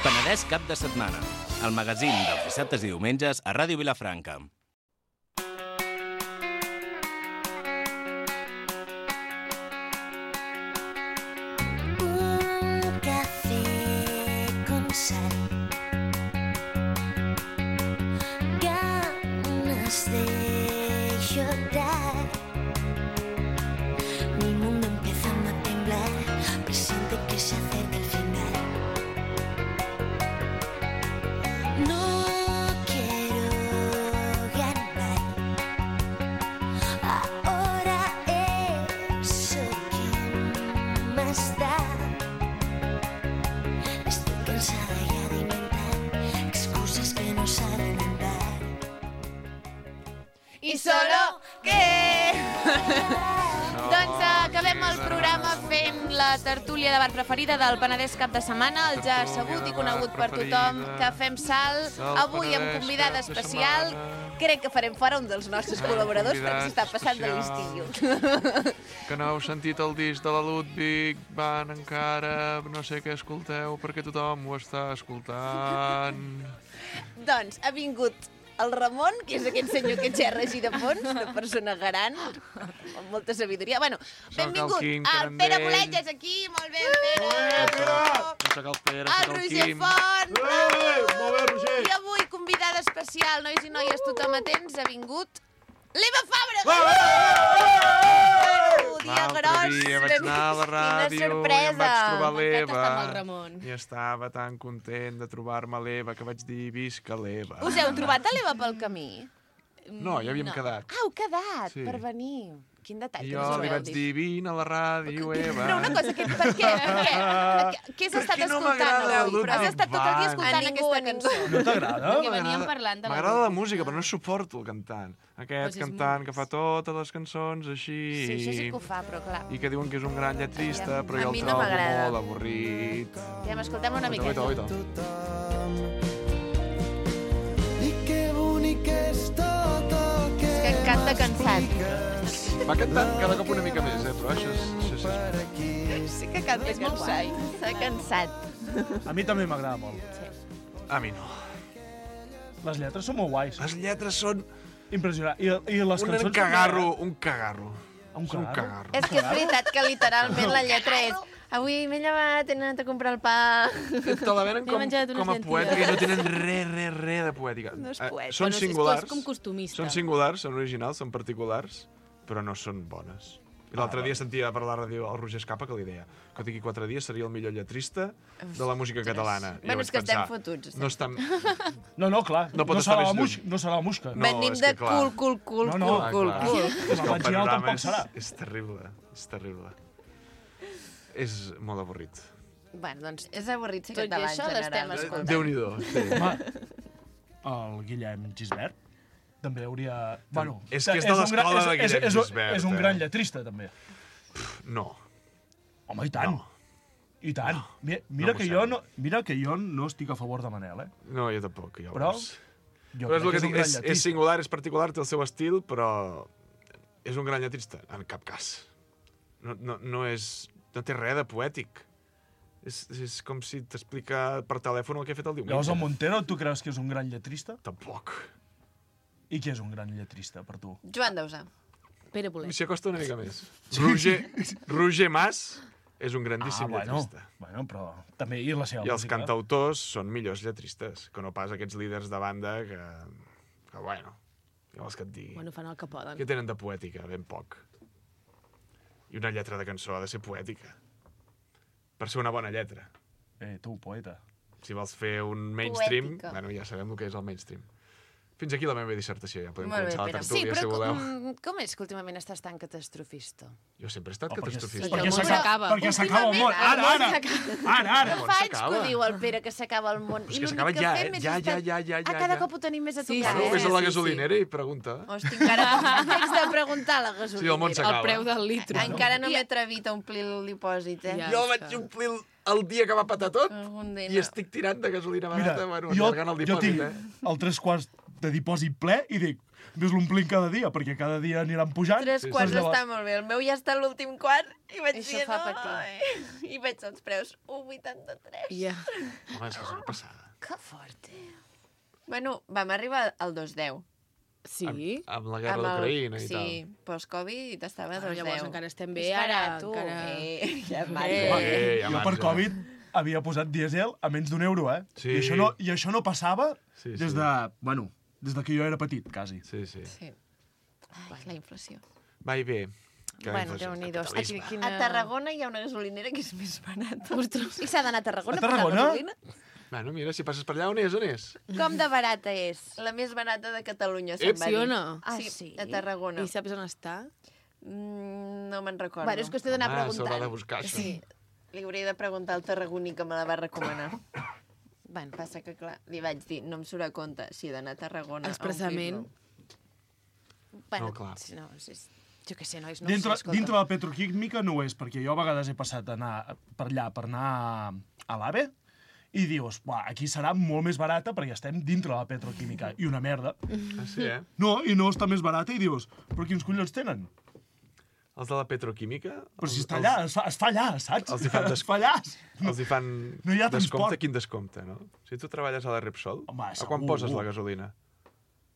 Penedès cap de setmana. El magazín dels dissabtes i diumenges a Ràdio Vilafranca. Un café con sal, ganas de llorar. Mi mundo empieza a cansada ya de inventar excusas que no saben andar. I solo que... Doncs acabem el programa fent la tertúlia de bar preferida del Penedès cap de setmana, el ja sabut i conegut per tothom, Cafè amb Sal, avui amb convidada especial. Crec que farem fora un dels nostres col·laboradors perquè s'està passant de l'estiu. Que no heu sentit el disc de la Ludwig, van encara, no sé què escolteu, perquè tothom ho està escoltant. Doncs ha vingut el Ramon, que és aquest senyor que xerra així de fons, una persona gran, amb molta sabidoria. Bueno, benvingut. El Pere Bolet és aquí, molt bé, Pere. Soc el Pere, El soc el Roger Quim. Font. Molt bé, Roger. I avui, convidada especial, nois i noies, tothom atents, ha vingut l'Eva Fàbrega. Dia gros. L'altre dia vaig anar a la ràdio i em vaig trobar l'Eva. I estava tan content de trobar-me l'Eva que vaig dir visca l'Eva. Us heu trobat a l'Eva pel camí? No, ja havíem quedat. Ah, heu quedat Sí. per venir. Quin detall. I que jo us li heu vaig dit. dir, vine a la ràdio, Eva. Però una cosa, per què? Què has estat no escoltant m'agrada el avui? Però has estat tot el dia escoltant aquesta cançó. No t'agrada? Perquè veníem parlant de la M'agrada la música, però no suporto el cantant. Aquest Pues és cantant que fa totes les cançons així... Sí, això sí que ho fa, però clar. I que diuen que és un gran lletrista, però A jo mi el no trobo m'agrada. molt avorrit. Ja m'escoltem una miqueta. Oita. I que bonic és tot el que És que canta cansat. Va cantant cada cop una mica més, però això és... Sí que canta cansat. Està cansat. A mi també m'agrada molt. A mi no. Les lletres són molt guais. Les lletres són... Impressionant. I les cançons... Un cagarro, un cagarro. Un cagarro. És que és veritat que literalment la lletra és avui m'he llevat, he anat a comprar el pa... Te la venen M'he menjat unes com a poètica i no llenties. tenen res de poètica. No és poètica. Són Bueno, és singulars. com costumista. Són singulars, són originals, són particulars, però no són bones. I l'altre dia sentia per la ràdio el Roger Escapa que li deia que d'aquí 4 dies seria el millor lletrista de la música catalana. I jo Bueno, vaig és que estem pensar, fotuts. No estem... No, clar. No pot no estar serà més lluny. no serà la musca. No, Venim és de que clar. cul. És que el vaginal panorama tampoc serà. és terrible, és terrible. És molt avorrit. Bueno, doncs, És avorrit ser tot i català en això l'estem general. escoltant. Déu-n'hi-do, sí. El Guillem Gisbert també hauria... Bueno, És que és de l'escola de Guillem Gisbert, És un eh? gran lletrista, també. No. Home, i tant. I tant. Mira que jo no estic a favor de Manel, eh? No, jo tampoc. Ja ho Però veus. jo Però és el crec que que dic, és un gran és lletrista. singular, és particular, té el seu estil, però és un gran lletrista, en cap cas. No té res de poètic. És com si t'explica per telèfon el que ha fet el diumenge. Llavors el Montero, tu creus que és un gran lletrista? Tampoc. I qui és un gran lletrista per tu? Joan Dausà. Pere Bolet. S'hi acosta una mica més. Roger Mas és un grandíssim lletrista. Bueno, però també i la seva I els música. cantautors són millors lletristes, que no pas aquests líders de banda que bueno, ja vols que et digui. Bueno, fan el que poden. Què tenen de poètica? Ben poc. I una lletra de cançó ha de ser poètica. Per ser una bona lletra. Tu, poeta. Si vols fer un mainstream, Poètica. bueno, ja sabem el que és el mainstream. Fins aquí la meva dissertació, ja podem Molt bé, començar la Pere. tertúlia, si voleu. Com és que últimament estàs tan catastrofista? Jo sempre he estat catastrofista. Perquè s'acaba el món. Ara! No món fa anys que s'acaba. ho diu el Pere, que s'acaba el món. És I que l'únic s'acaba que ja, fem és ja, estar... ja. Cada cop ho tenim més a tocar. Bueno, vés a la gasolinera i pregunta. Hosti, encara... Haig de preguntar a la gasolinera. Sí, el món s'acaba. litro. Encara no m'he atrevit a omplir el dipòsit, eh? Jo vaig omplir el dia que va patar tot dia i estic tirant de gasolina barata, bueno, jo allargant el tinc dipòsit, el 3/4 de dipòsit ple i dic, ves l'omplim cada dia, perquè cada dia aniran pujant. 3/4 està molt bé. El meu ja està a l'últim quart i vaig Això dir, fa no, patir. i veig els preus 1,83. Ja. Home, és que és una passada. Que fort, Bueno, vam arribar al 2,10. Sí? Amb la guerra d'Ucraïna i tal. Sí, post-Covid estava a 2,10. Llavors encara estem bé, És ara barat, tu. encara- Ja Jo per Covid havia posat dièsel a menys d'1 euro, eh? Sí. I això no passava Sí, des sí. de... Bueno, des de que jo era petit, quasi. Sí, sí. Sí. Ai, la inflació. Va i bé. Que la Bueno, inflació, Déu-n'hi-do. capitalisme. A Tarragona hi ha una gasolinera que és més barata. I s'ha d'anar a Tarragona A per posar Tarragona? gasolina? Bueno, mira, si passes per allà, on és? On és? Com de barata és? La més barata de Catalunya, se'n va Sí dir. o no? Ah, Sí, sí? a Tarragona. I saps on està? No me'n recordo. Bueno, és qüestió d'anar Home, preguntant. s'haurà de buscar, això. Sí, li hauria de preguntar al tarragoní que me la va recomanar. Bueno. Passa que, clar, li vaig dir, no em surt a compte si he d'anar a Tarragona Expressament. Bueno, No, clar. no, jo què sé, nois, no Dintre, sé, escolta. dintre la petroquímica no ho és, perquè jo a vegades he passat a anar per allà per anar a l'AVE i dius, aquí serà molt més barata perquè estem dintre la petroquímica. I una merda. Ah, sí, eh? No, i no està més barata i dius, però quins collons tenen? Els de la petroquímica? Però si està allà, es fa allà, saps? Els hi fan, Es fa allà. els hi fan No hi ha descompte, transport. quin descompte, no? Si tu treballes a la Repsol, Home, a quan segur. poses la gasolina?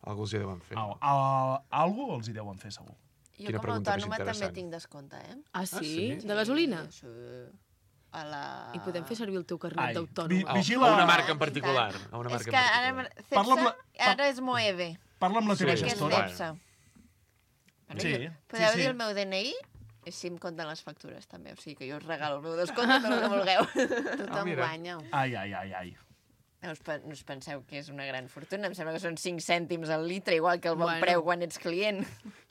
Algú els hi deuen fer. Algú els hi deuen fer, segur. Jo Quina com a pregunta més autònoma també interessant. tinc descompte, eh? Ah, sí? sí? De gasolina? Sí. A la... I podem fer servir el teu carnet Ai, d'autònoma. vigila- A una marca en particular. A una És marca que en ara, particular. Parla amb Cepsa, ara és Moeve. Parla amb la teva Sí, Que és gestora. Cepsa. Sí, Podeu sí, dir sí. el meu DNI i si em compten les factures, també. O sigui que jo us regalo el meu descompte, tot el que vulgueu. Tothom mira. guanya. Ai, ai, ai, ai. No us penseu que és una gran fortuna. Em sembla que són 5 cèntims al litre, igual que el bon Bueno. preu quan ets client.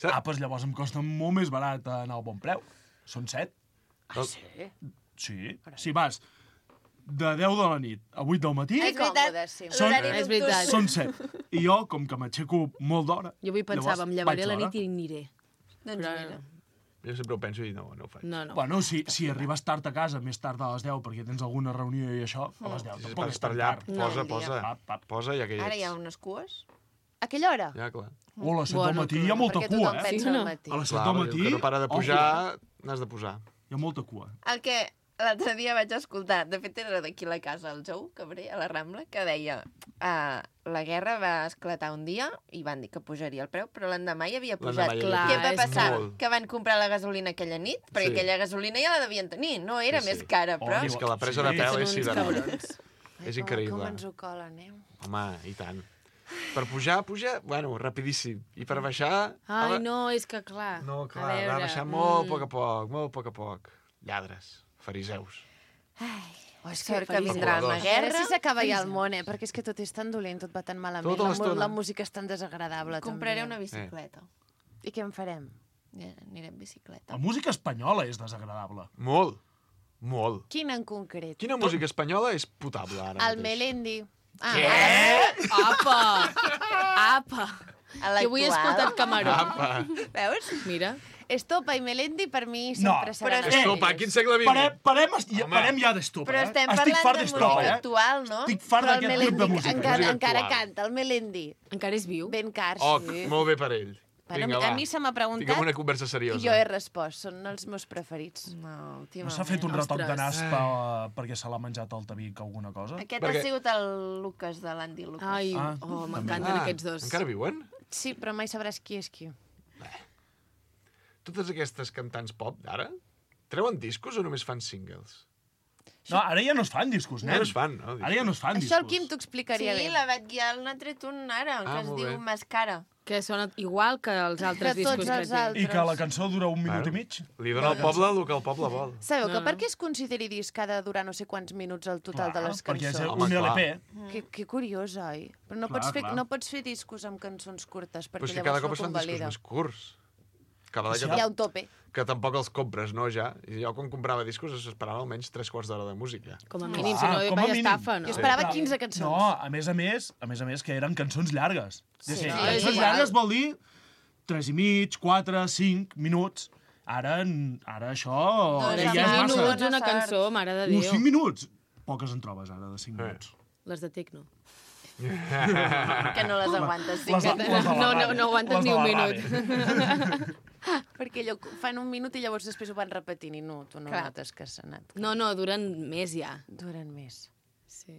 Doncs llavors em costa molt més barat anar al bon preu. Són 7. Ah, sí? Sí. Si vas de 10 de la nit a 8 del matí, És veritat, còmode, sí. l'horari És nocturn. veritat. són 7. I jo, com que m'aixeco molt d'hora... Jo avui pensava, em llevaré a la vaig nit i aniré. Doncs Però- mira. Jo sempre ho penso i no ho faig. No, no. Bueno, si arribes tard a casa, més tard a les 10, perquè tens alguna reunió i això, a les 10. Si Tampoc vas és per tan allà, tard. posa, No, posa. Posa ja que hi ets. Ara hi ha unes cues. A aquella hora? Ja, clar. O a les 7 del Bueno, matí hi ha molta Perquè cua, tothom eh? pensa Sí o no? al matí. A les 7 Clar, del diu matí... que no para de ojo, pujar, n'has de posar. Hi ha molta cua. El que l'altre dia vaig escoltar, de fet era d'aquí a la casa, el Jou Cabré, a la Rambla, que deia la guerra va esclatar un dia i van dir que pujaria el preu, però l'endemà hi havia pujat. L'endemà hi havia Què pujat. va És passar? molt. Que van comprar la gasolina aquella nit, perquè Sí. aquella gasolina ja la devien tenir, no era Sí, més sí. cara, però... És que la presa de Sí. pèl Són és uns sideral. cabrons. És Com increïble. ens ho colen, eh? Home, i tant. Per pujar, bueno, rapidíssim. I per baixar... Ai, no, és que clar. No, a clar, va veure, baixar molt a poc a poc, molt a poc a poc. Lladres, fariseus. Oh, és Sort que feliç. vindrà la A veure guerra. si s'acaba ja el món, perquè és que tot és tan dolent, tot va tan malament. Tota l'estona. La música és tan desagradable, Compraré també. una bicicleta. I què en farem? Aniré en bicicleta. La música espanyola és desagradable. Molt, molt. Quina en concret? Quina música espanyola és potable ara El mateix? Melendi. Apa! Apa! A Que avui he l'actual. escoltat Camaró. Apa. Veus? Mira. Estopa i Melendi per mi sempre seran però els Estopa, millors. quin segle XX? Parem ja d'estopa, Però estem Estic parlant fart de d'estopa, música actual, no? Estic fart Però el d'aquest grup de Melendi música. encara actual. canta, el Melendi. Encara és viu? Ben car, sí. Molt bé per ell. Bueno, Vinga, va. a mi se m'ha preguntat Tinguem una conversa i seriosa. jo he respost. Són els meus preferits. No, No s'ha fet un retoc de nas perquè se l'ha menjat el tabic alguna cosa? Aquest Perquè- ha sigut el Lucas de l'Andy Lucas. Ai, Ah, oh, també. m'encanten aquests dos. Encara viuen? Sí, però mai sabràs qui és qui. Totes aquestes cantants pop d'ara treuen discos o només fan singles? No, ara ja no es fan discos, nen. Ja no es fan, no? Ara ja no es fan Això el discos. Quim t'ho explicaria Sí, bé. la Bet Guial n'ha tret un ara, que es molt diu bé. Mascara. Que sona igual que els altres Que tots discos que els té. altres. I que la cançó dura un minut i mig? Li dona al poble el que el poble vol. Sabeu que No, per no. què es consideri disc ha de durar no sé quants minuts el total de les perquè és cançons? Home, un clar. LP. Que curiós, oi? Però no, Clar, clar. no pots fer discos amb cançons curtes, perquè Però és que llavors cada cop no es fan discos convalida. més curts. Que val Sí. que, Hi ha un tope. que tampoc els compres, no, ja? I jo quan comprava discos esperava almenys 3 quarts d'hora de música. Com a mínim, Clar, si no, com a vaya mínim. estafa, no? Jo esperava Clar. 15 cançons. No, a més, que eren cançons llargues. Sí. Sí, No, cançons és igual. llargues vol dir 3 i mig, 4, 5 minuts. Ara això Dos ja amb és minuts. massa. Minuts, una cançó, mare de Déu. 5 minuts? Poques en trobes ara, de 5 minuts. Les de Tecno. Que no les aguantes. Sí, Les de- que... les de la No, ràdio. no aguantes Les de ni un la minut. ràdio. Perquè allò fan un minut i llavors després ho van repetint i no, tu no Clar. notes que s'ha anat. No, no, duren més ja. Duren més. Sí.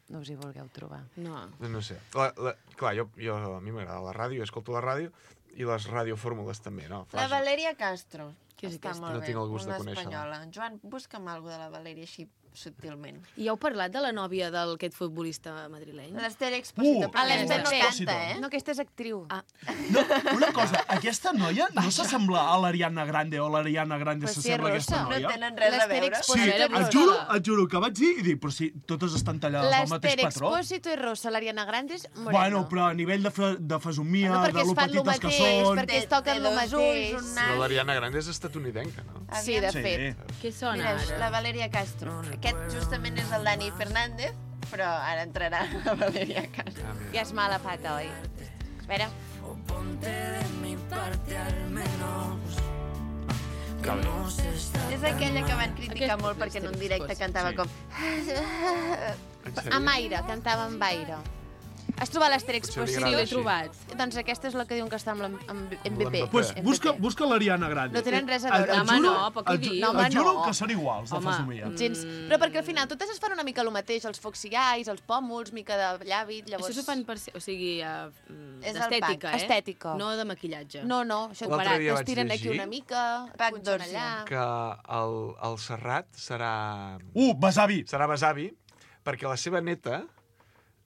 No us hi vulgueu trobar. No. No sé. Clar, a mi m'agrada la ràdio, escolto la ràdio, i les radiofórmules també, no? La Valeria Castro. Què és Està aquesta? molt No bé, tinc el gust de una conèixer-la. espanyola. Joan, busca'm alguna de la Valeria així subtilment. I heu parlat de la nòvia d'aquest futbolista madrileny? L'Ester Expósito, però l'Ester aquesta no Expósito. canta, eh? No, aquesta és actriu. Ah. No, una cosa, aquesta noia no s'assembla a l'Ariana Grande o l'Ariana Grande Però si és s'assembla a aquesta rossa. No noia? tenen res a L'Ester veure. Sí, Expósito és et juro que vaig dir i dic, però si totes estan tallades del mateix L'Ester patró. Expósito és rossa, l'Ariana Grande és morena. Bueno, però a nivell de fesomia, Bueno, perquè de es lo fan lo petites que mateix, són... perquè es toquen lo dos mateix. ulls, un Però nas. l'Ariana Grande és estatunidenca, no? Sí, de Sí. fet. Què sona Mira, ara? la Valeria Castro. Aquest justament és el Dani Fernández, però ara entrarà a Valeria a casa. Ja és mala pata, oi? Espera. Ponte de mi parte al menos. És aquella que van criticar molt perquè en un directe cantava com... Amb aire, cantava amb aire. Has trobat l'Asterix Potser li Possible? agrada l'he trobat. Doncs aquesta és la que diuen que està amb MVP. Pues busca l'Ariana Grande. No tenen res a veure. Et Home, juro- no, però què et ju- dius? No, home, et juro no. que són iguals, de Home, fesomia. Gens. Però perquè al final totes es fan una mica el mateix, els foxy eyes, els pòmuls, mica de llavi, llavors... Això s'ho fan per... O sigui, És el d'estètica, pack. Estètica. No de maquillatge. No, això L'altre dia vaig t'estiren aquí llegir una mica, Pack punxen d'Orsi. allà... Que el Serrat serà... Besavi. Serà besavi, perquè la seva neta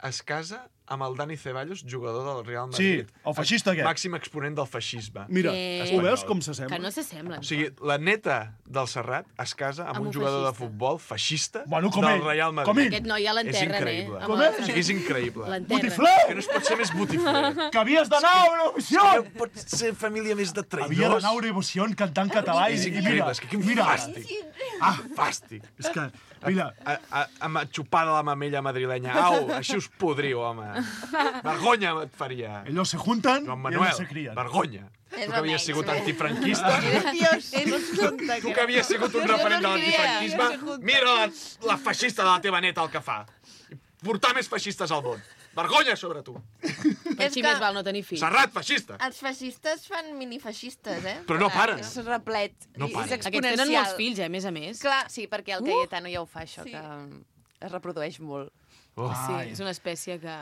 es casa amb el Dani Ceballos, jugador del Real Madrid. Sí, el feixista aquest. Màxim exponent del feixisme. Mira, ho veus com Que s'assembla? no s'assemblen. O sigui, la neta del Serrat es casa amb Amb un un jugador de feixista. futbol feixista Bueno, com del ell, Real Madrid. com ell. Aquest noi ja l'enterren, És increïble. eh? Com Amb és? O sigui, és increïble. L'enterren. Botifler! Que no es pot ser més botifler. Que havies d'anar a Eurovisió! No pot ser família més de traïdors. Havia d'anar a Eurovisió cantant català És i increïble, mira, és que quin mira. fàstic. Fàstic. És que, mira, Amb xupada la mamella madrilenya. Au, així us podriu, home. Vergonya et faria. ellos se juntan Joan y Manuel, ellos se crían. vergonya. És Tu que havies el sigut Nex, antifranquista, Dios, tu que havies sigut un referent de l'antifranquisme, mira la feixista de la teva neta el que fa. Portar més feixistes al món. Vergonya sobre tu. Per És així que- més val no tenir fills. Serrat, feixista. Els feixistes fan minifeixistes, eh? Però no paren. És replet. No I paren. és Aquests exponencial. tenen molts fills, a més a més. Clar, sí, perquè el Cayetano ja ho fa, això, que es reprodueix molt. Oh. Sí, és una espècie que...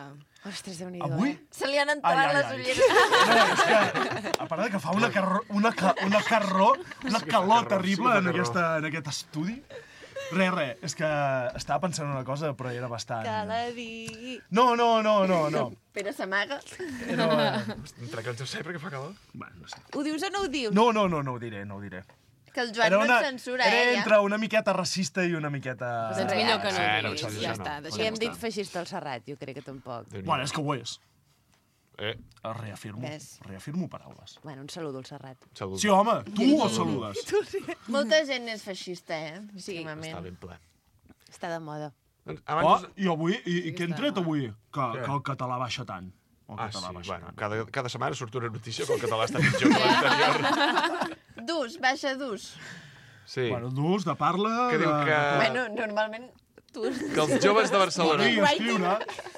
Ostres, Déu-n'hi-do, Avui? Se li han enterat les ulleres. No, és que, a part de que fa una calor terrible en aquest estudi. Res, és que estava pensant una cosa, però era bastant... Que la digui. No. Però s'amaga. Entre que el Josep, perquè fa calor. Bueno, no sé. Ho dius o no ho dius? No ho diré. Que el Joan no et censura, era ja. entre una miqueta racista i una miqueta... Doncs millor que no ho no, diguis. això Ja no. està, Si deixem-ho hem dit estar. feixista al Serrat, jo crec que tampoc. Bueno, és que ho és. Ves. Reafirmo paraules. Bueno, un saludo al Serrat. Salut. Sí, home, tu el saludes. Molta gent és feixista, eh? Sí. Últimament. Està ben ple. Està de moda. Doncs Oh, abans... i avui, i què hem tret avui? Que Què? el català baixa tant. El Ah, sí, català baixa bueno, tant. cada setmana surt una notícia que el català està pitjor que l'anterior. Baixa d'ús. Sí. Bueno, d'ús, de parla... Que diu que... Bueno, normalment tu... Que els joves de Barcelona... I escriure...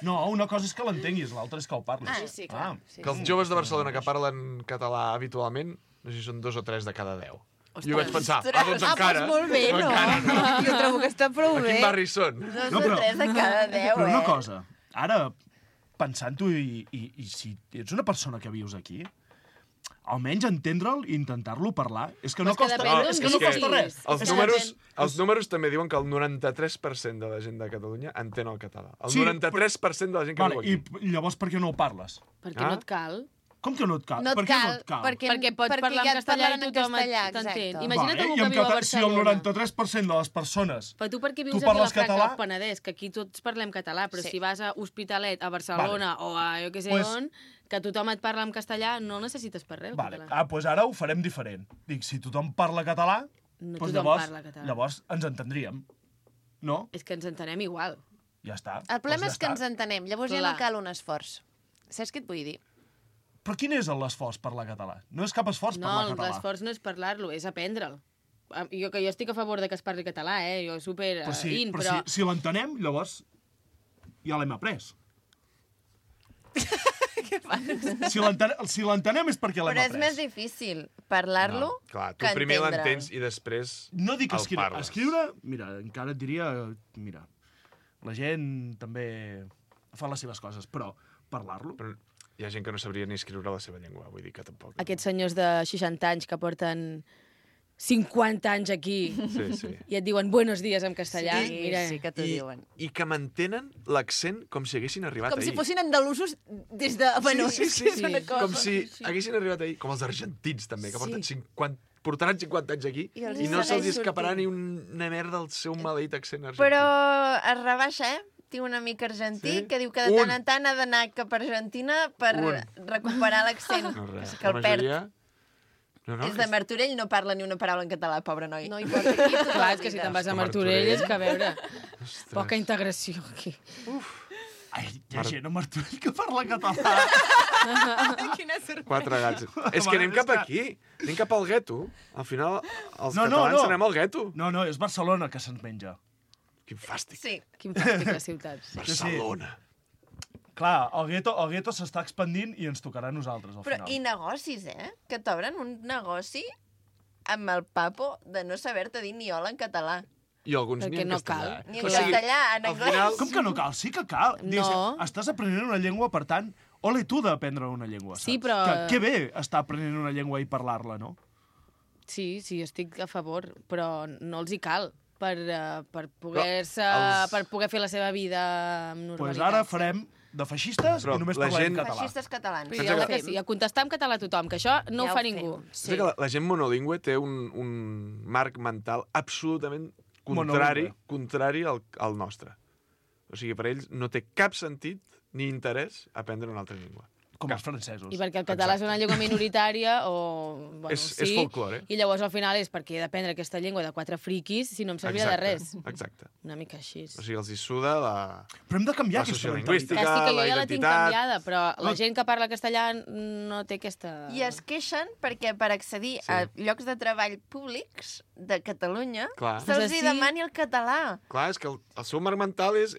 No, una cosa és que l'entenguis, l'altra és que el parlis. Ah, sí, clar. Sí, Que els joves de Barcelona que parlen català habitualment, no sé si són 2 o 3 de cada 10. I jo vaig pensar, doncs encara... Doncs molt bé, no? Encara no. Jo trobo que està prou A bé. quin barri són? 2 o 3 de cada 10, Però eh? una cosa, ara, pensant-ho, i si ets una persona que vius aquí, almenys entendre'l i intentar-lo parlar, és que no Però és que costa, depèn d'on és que no visquis. costa res. Els números també diuen que el 93% de la gent de Catalunya entén el català. El Sí, 93% de la gent que Vale, viu aquí. i llavors per què no ho parles? Perquè no et cal. Com que no et cal? No Per et què no cal, et cal? Perquè pots perquè parlar ja en et castellà i parlaven en tothom castellà, t'entén. exacte. Imagina't Vale, algú i que en viu a català, si el Barcelona. 93% de les persones... Però tu perquè vius Tu a parles Vilafranca català? o Penedès, que aquí tots parlem català, però Sí. si vas a Hospitalet, a Barcelona o a jo què sé Pues- on, que tothom et parla en castellà, no necessites per res el Vale. català. Doncs ara ho farem diferent. Dic, si tothom parla català, No doncs tothom llavors, parla català. llavors ens entendríem. No? És que ens entenem igual. Ja està. El problema Doncs és que ja ens està. entenem, llavors ja Clar. no cal un esforç. Saps què et vull dir? Però quin és l'esforç parlar català? No és cap esforç No, parlar català. l'esforç no és parlar-lo, és aprendre'l. Jo estic a favor de que es parli català, Jo super Però si, in, però si l'entenem, llavors ja l'hem après. Si l'entenem és perquè l'hem Però és après. més difícil parlar-lo Clar, tu que primer entendre'l. l'entens i després No dic el escriure. parles. Escriure, mira, encara et diria... Mira, la gent també fa les seves coses, però parlar-lo... Però hi ha gent que no sabria ni escriure la seva llengua, vull dir que tampoc. Aquests senyors de 60 anys que porten 50 anys aquí Sí. i et diuen buenos días en castellà. Sí, Mira, sí que t'ho diuen. I que mantenen l'accent com si haguessin arribat Com ahir. si fossin andalusos des de... Bueno, sí, és una cosa... Com si haguessin arribat ahir, com els argentins també, que porten 50, portaran 50 anys aquí I els i no se'ls segueix escaparà sortint. ni una merda del seu maleït accent argentí. Però es rebaixa, Tinc un amic argentí Sí? que diu que de tant en tant ha d'anar cap a Argentina per recuperar l'accent. No, res. Que el perd. La És de Martorell, no parla ni una paraula en català, pobre noi. No importa. Clar, és que si te'n vas a Martorell és que, a veure, poca integració aquí. Ai, hi ha gent a Martorell que parla català. Quina sorpresa. 4 gats. És que anem cap aquí. Anem cap al gueto. Al final, els catalans anem al gueto. No, és Barcelona que se'ns menja. Quin fàstic. Sí. Quin fàstic la ciutat. Barcelona. Clar, el gueto s'està expandint i ens tocarà a nosaltres, al final. Però i negocis, Que t'obren un negoci amb el papo de no saber-te dir ni hola en català. I alguns ni en castellà. Ni en castellà, en anglès. Com que no cal? Sí que cal. No. Estàs aprenent una llengua, per tant, ole tu d'aprendre una llengua, saps? Sí, però... Que bé estar aprenent una llengua i parlar-la, no? Sí, estic a favor, però no els hi cal per poder fer la seva vida amb normalitat. Doncs ara farem de feixistes i només parlem català. Feixistes catalans. Sí, a contestar en català a tothom, que això no ho fa ningú. Sí. Que la gent monolingüe té un marc mental absolutament contrari al nostre. O sigui, per ells no té cap sentit ni interès aprendre una altra llengua. Com els francesos. I perquè el català és una llengua minoritària o... Bueno, és folklore. I llavors al final és perquè he d'aprendre aquesta llengua de 4 friquis si no em servia de res. Exacte. Una mica així. O sigui, els hi suda la... Però hem de canviar la aquesta sociolingüística, que sí, que jo la ja la tinc identitat... canviada, però la gent que parla castellà no té aquesta... I es queixen perquè per accedir a llocs de treball públics de Catalunya se'ls hi demani el català. Clar, és que el seu marc mental és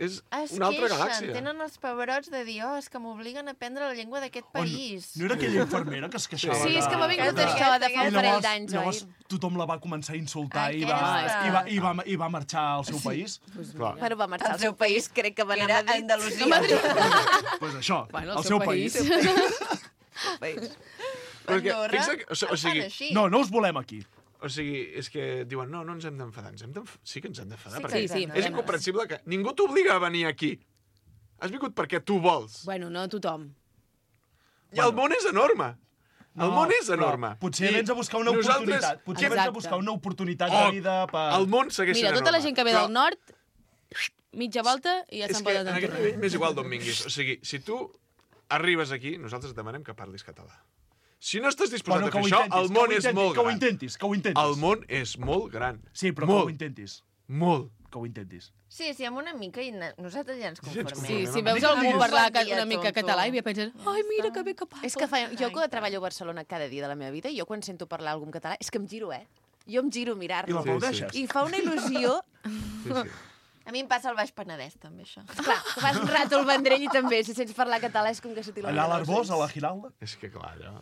una altra galàxia. Tenen els pebrots de dir, és que m'obliguen a aprendre la llengua d'aquest país. No era aquella infermera que es queixava? Sí, és que m'ha vingut això de fa un parell d'anys, oi? Llavors tothom la va començar a insultar i va marxar al seu país? Bueno, va marxar al seu país, crec que va anar a Andalusia. Pues això, al seu país. No us volem aquí. O sigui, és que diuen, no ens hem d'enfadar. Sí que ens hem d'enfadar. Sí, és incomprensible que ningú t'obliga a venir aquí. Has vingut perquè tu vols. Bueno, no tothom. I el món és enorme. El món és enorme. Potser vens a buscar una oportunitat. Potser vens a buscar una oportunitat de vida per... El món segueix sent enorme. Mira, tota la gent que ve del nord, mitja volta i ja se'n poden tornar. És que en aquest nivell m'és igual d'on vinguis. O sigui, si tu arribes aquí, nosaltres et demanem que parlis català. Si no estàs disposat a fer això, el món és molt gran. Que ho intentis. El món és molt gran. Sí, però que ho intentis. Molt. Que ho intentis. Sí, amb una mica i nosaltres ja ens conformem. Sí, si veus algú parlar una mica català i penses, ai, mira que bé que parla. És que jo que treballo a Barcelona cada dia de la meva vida, jo quan sento parlar algú en català, és que em giro, Jo em giro a mirar-lo. I l'aplaudeixes. I fa una il·lusió. A mi em passa al Baix Penedès, també, això. Clar, vas un rato al Vendrell i també, si sents parlar català és com que se t'il·lumina. Allà a l'Arbós, a la Giralda. És que clar, allà...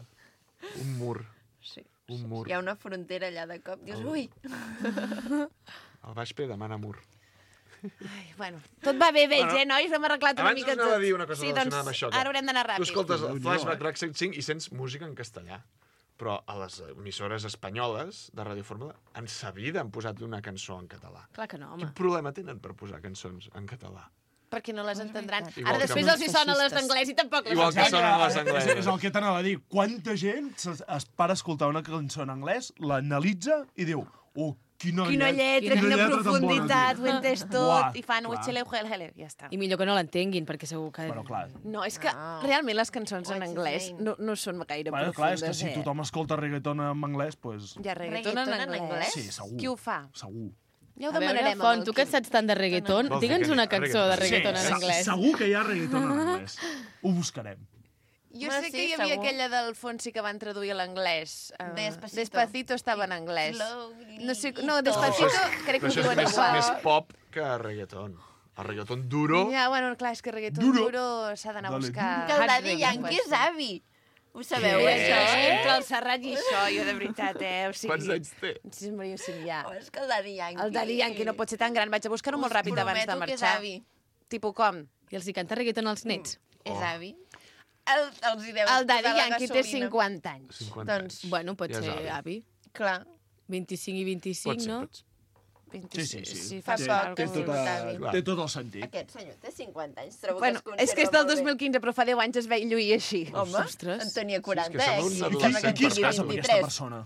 Un mur. Sí. Un mur. Hi ha una frontera allà de cop. Dius, ui! El Baix P demana mur. Ai, bueno, tot va bé, nois? Hem arreglat una mica tot. Abans us anava a dir una cosa relacionada amb això. Ara haurem d'anar ràpid. Tu escoltes el Flashback Track 105 i sents música en castellà. Però a les emissores espanyoles de Ràdio Fórmula en sa vida han posat una cançó en català. Clar que no, home. Quin problema tenen per posar cançons en català? Perquè no les entendran. Igual Ara després els hi sonen les d'anglès i tampoc les Igual que sonen les anglès. És el que t'anava a dir. Quanta gent es para a escoltar una cançó en anglès, l'analitza i diu, quina lletra, quina profunditat, ho he entès tot, i fan hele, ja està. I millor que no l'entenguin, perquè segur que... Però clar... No, és que realment les cançons en anglès no són gaire profundes. Clar, és que si tothom escolta reggaeton en anglès, doncs... Hi ha reggaeton en anglès? Sí, segur. Qui ho fa? Segur. Ja ho demanarem. Font, tu que et saps tant de reggaeton, digue'ns una cançó de reggaeton en anglès. Segur que hi ha reggaeton en anglès. Ho buscarem. Jo sé que hi havia aquella del Fonsi que van traduir a l'anglès. Despacito estava en anglès. No, Despacito crec que ho diuen igual. Però això és més pop que reggaeton. El reggaeton duro... Ja, bueno, clar, és que reggaeton duro s'ha d'anar a buscar... Que el Daddy Yankee és avi. Ho sabeu, això? Entre el Serrat i això, jo de veritat, O sigui, quants anys té? Sí, Maria Simià. És que el Daddy Yankee... El Daddy Yankee no pot ser tan gran. Vaig a buscar-ho molt ràpid abans de marxar. Tipo com? I els hi canta reggaeton als nets. És avi. Els hi deus el Daddy Yankee té 50 anys. Doncs, bueno, pot ser avi. Clar. 25 i 25, no? Sí. Fa poc que té tot el sentit. Aquest senyor té 50 anys. Trobo bueno, que és que és del 2015, però fa 10 anys es veia lluir així. Home, en tenia 40, Qui es casa amb aquesta persona?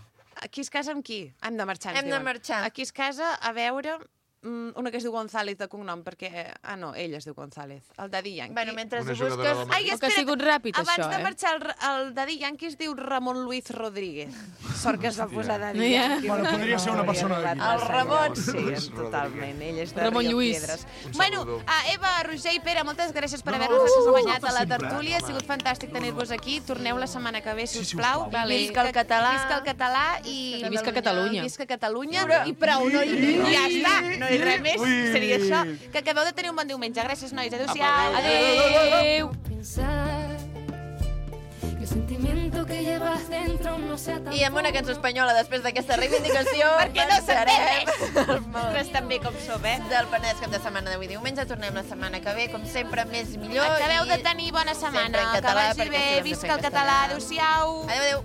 Aquí es casa amb qui? Hem de marxar. Hem de marxar. Aquí es casa a veure... una que es diu González de cognom, perquè... Ah, no, ell es diu González. El Daddy Yankee. Bueno, mentre Una ho jugadora busques... del Ai, O que ha sigut ràpid, abans això, de marxar, el Daddy Yankee es diu Ramon Luis Rodríguez. Sort que es va posar Daddy Ja. Yankee. Bueno, perquè podria ser una persona hauria d'aquí. arribat El massa Ramon. llavors. Sí, totalment. Ell és de Ramon Rio Lluís. Piedres. Un Bueno, saludó. Eva, Roger i Pere, moltes gràcies per No, haver-nos acompanyat a la sempre. tertúlia. Ha sigut fantàstic tenir-vos aquí. Torneu la setmana que ve, si us plau. Vale. Visca el català. Visca el català i... I visca Catalunya. Visca Catalunya. I prou, no? I ja està. No hi res més. Seria això. Que acabeu de tenir un bon diumenge. Gràcies, nois. Adéu-siau. Adéu. Pensar que el sentimiento que llevas dentro no sea tan I amb una cançó espanyola després d'aquesta reivindicació Perquè no s'entén marxarem Nosaltres també com som, del Penedès cap de setmana d'avui diumenge. Tornem la setmana que ve, com sempre, més i millor. Acabeu i de tenir bona setmana. sempre en Que català, vagi perquè bé. si no ens Visca el fem català. castellà. Adéu-siau. Adéu, adéu.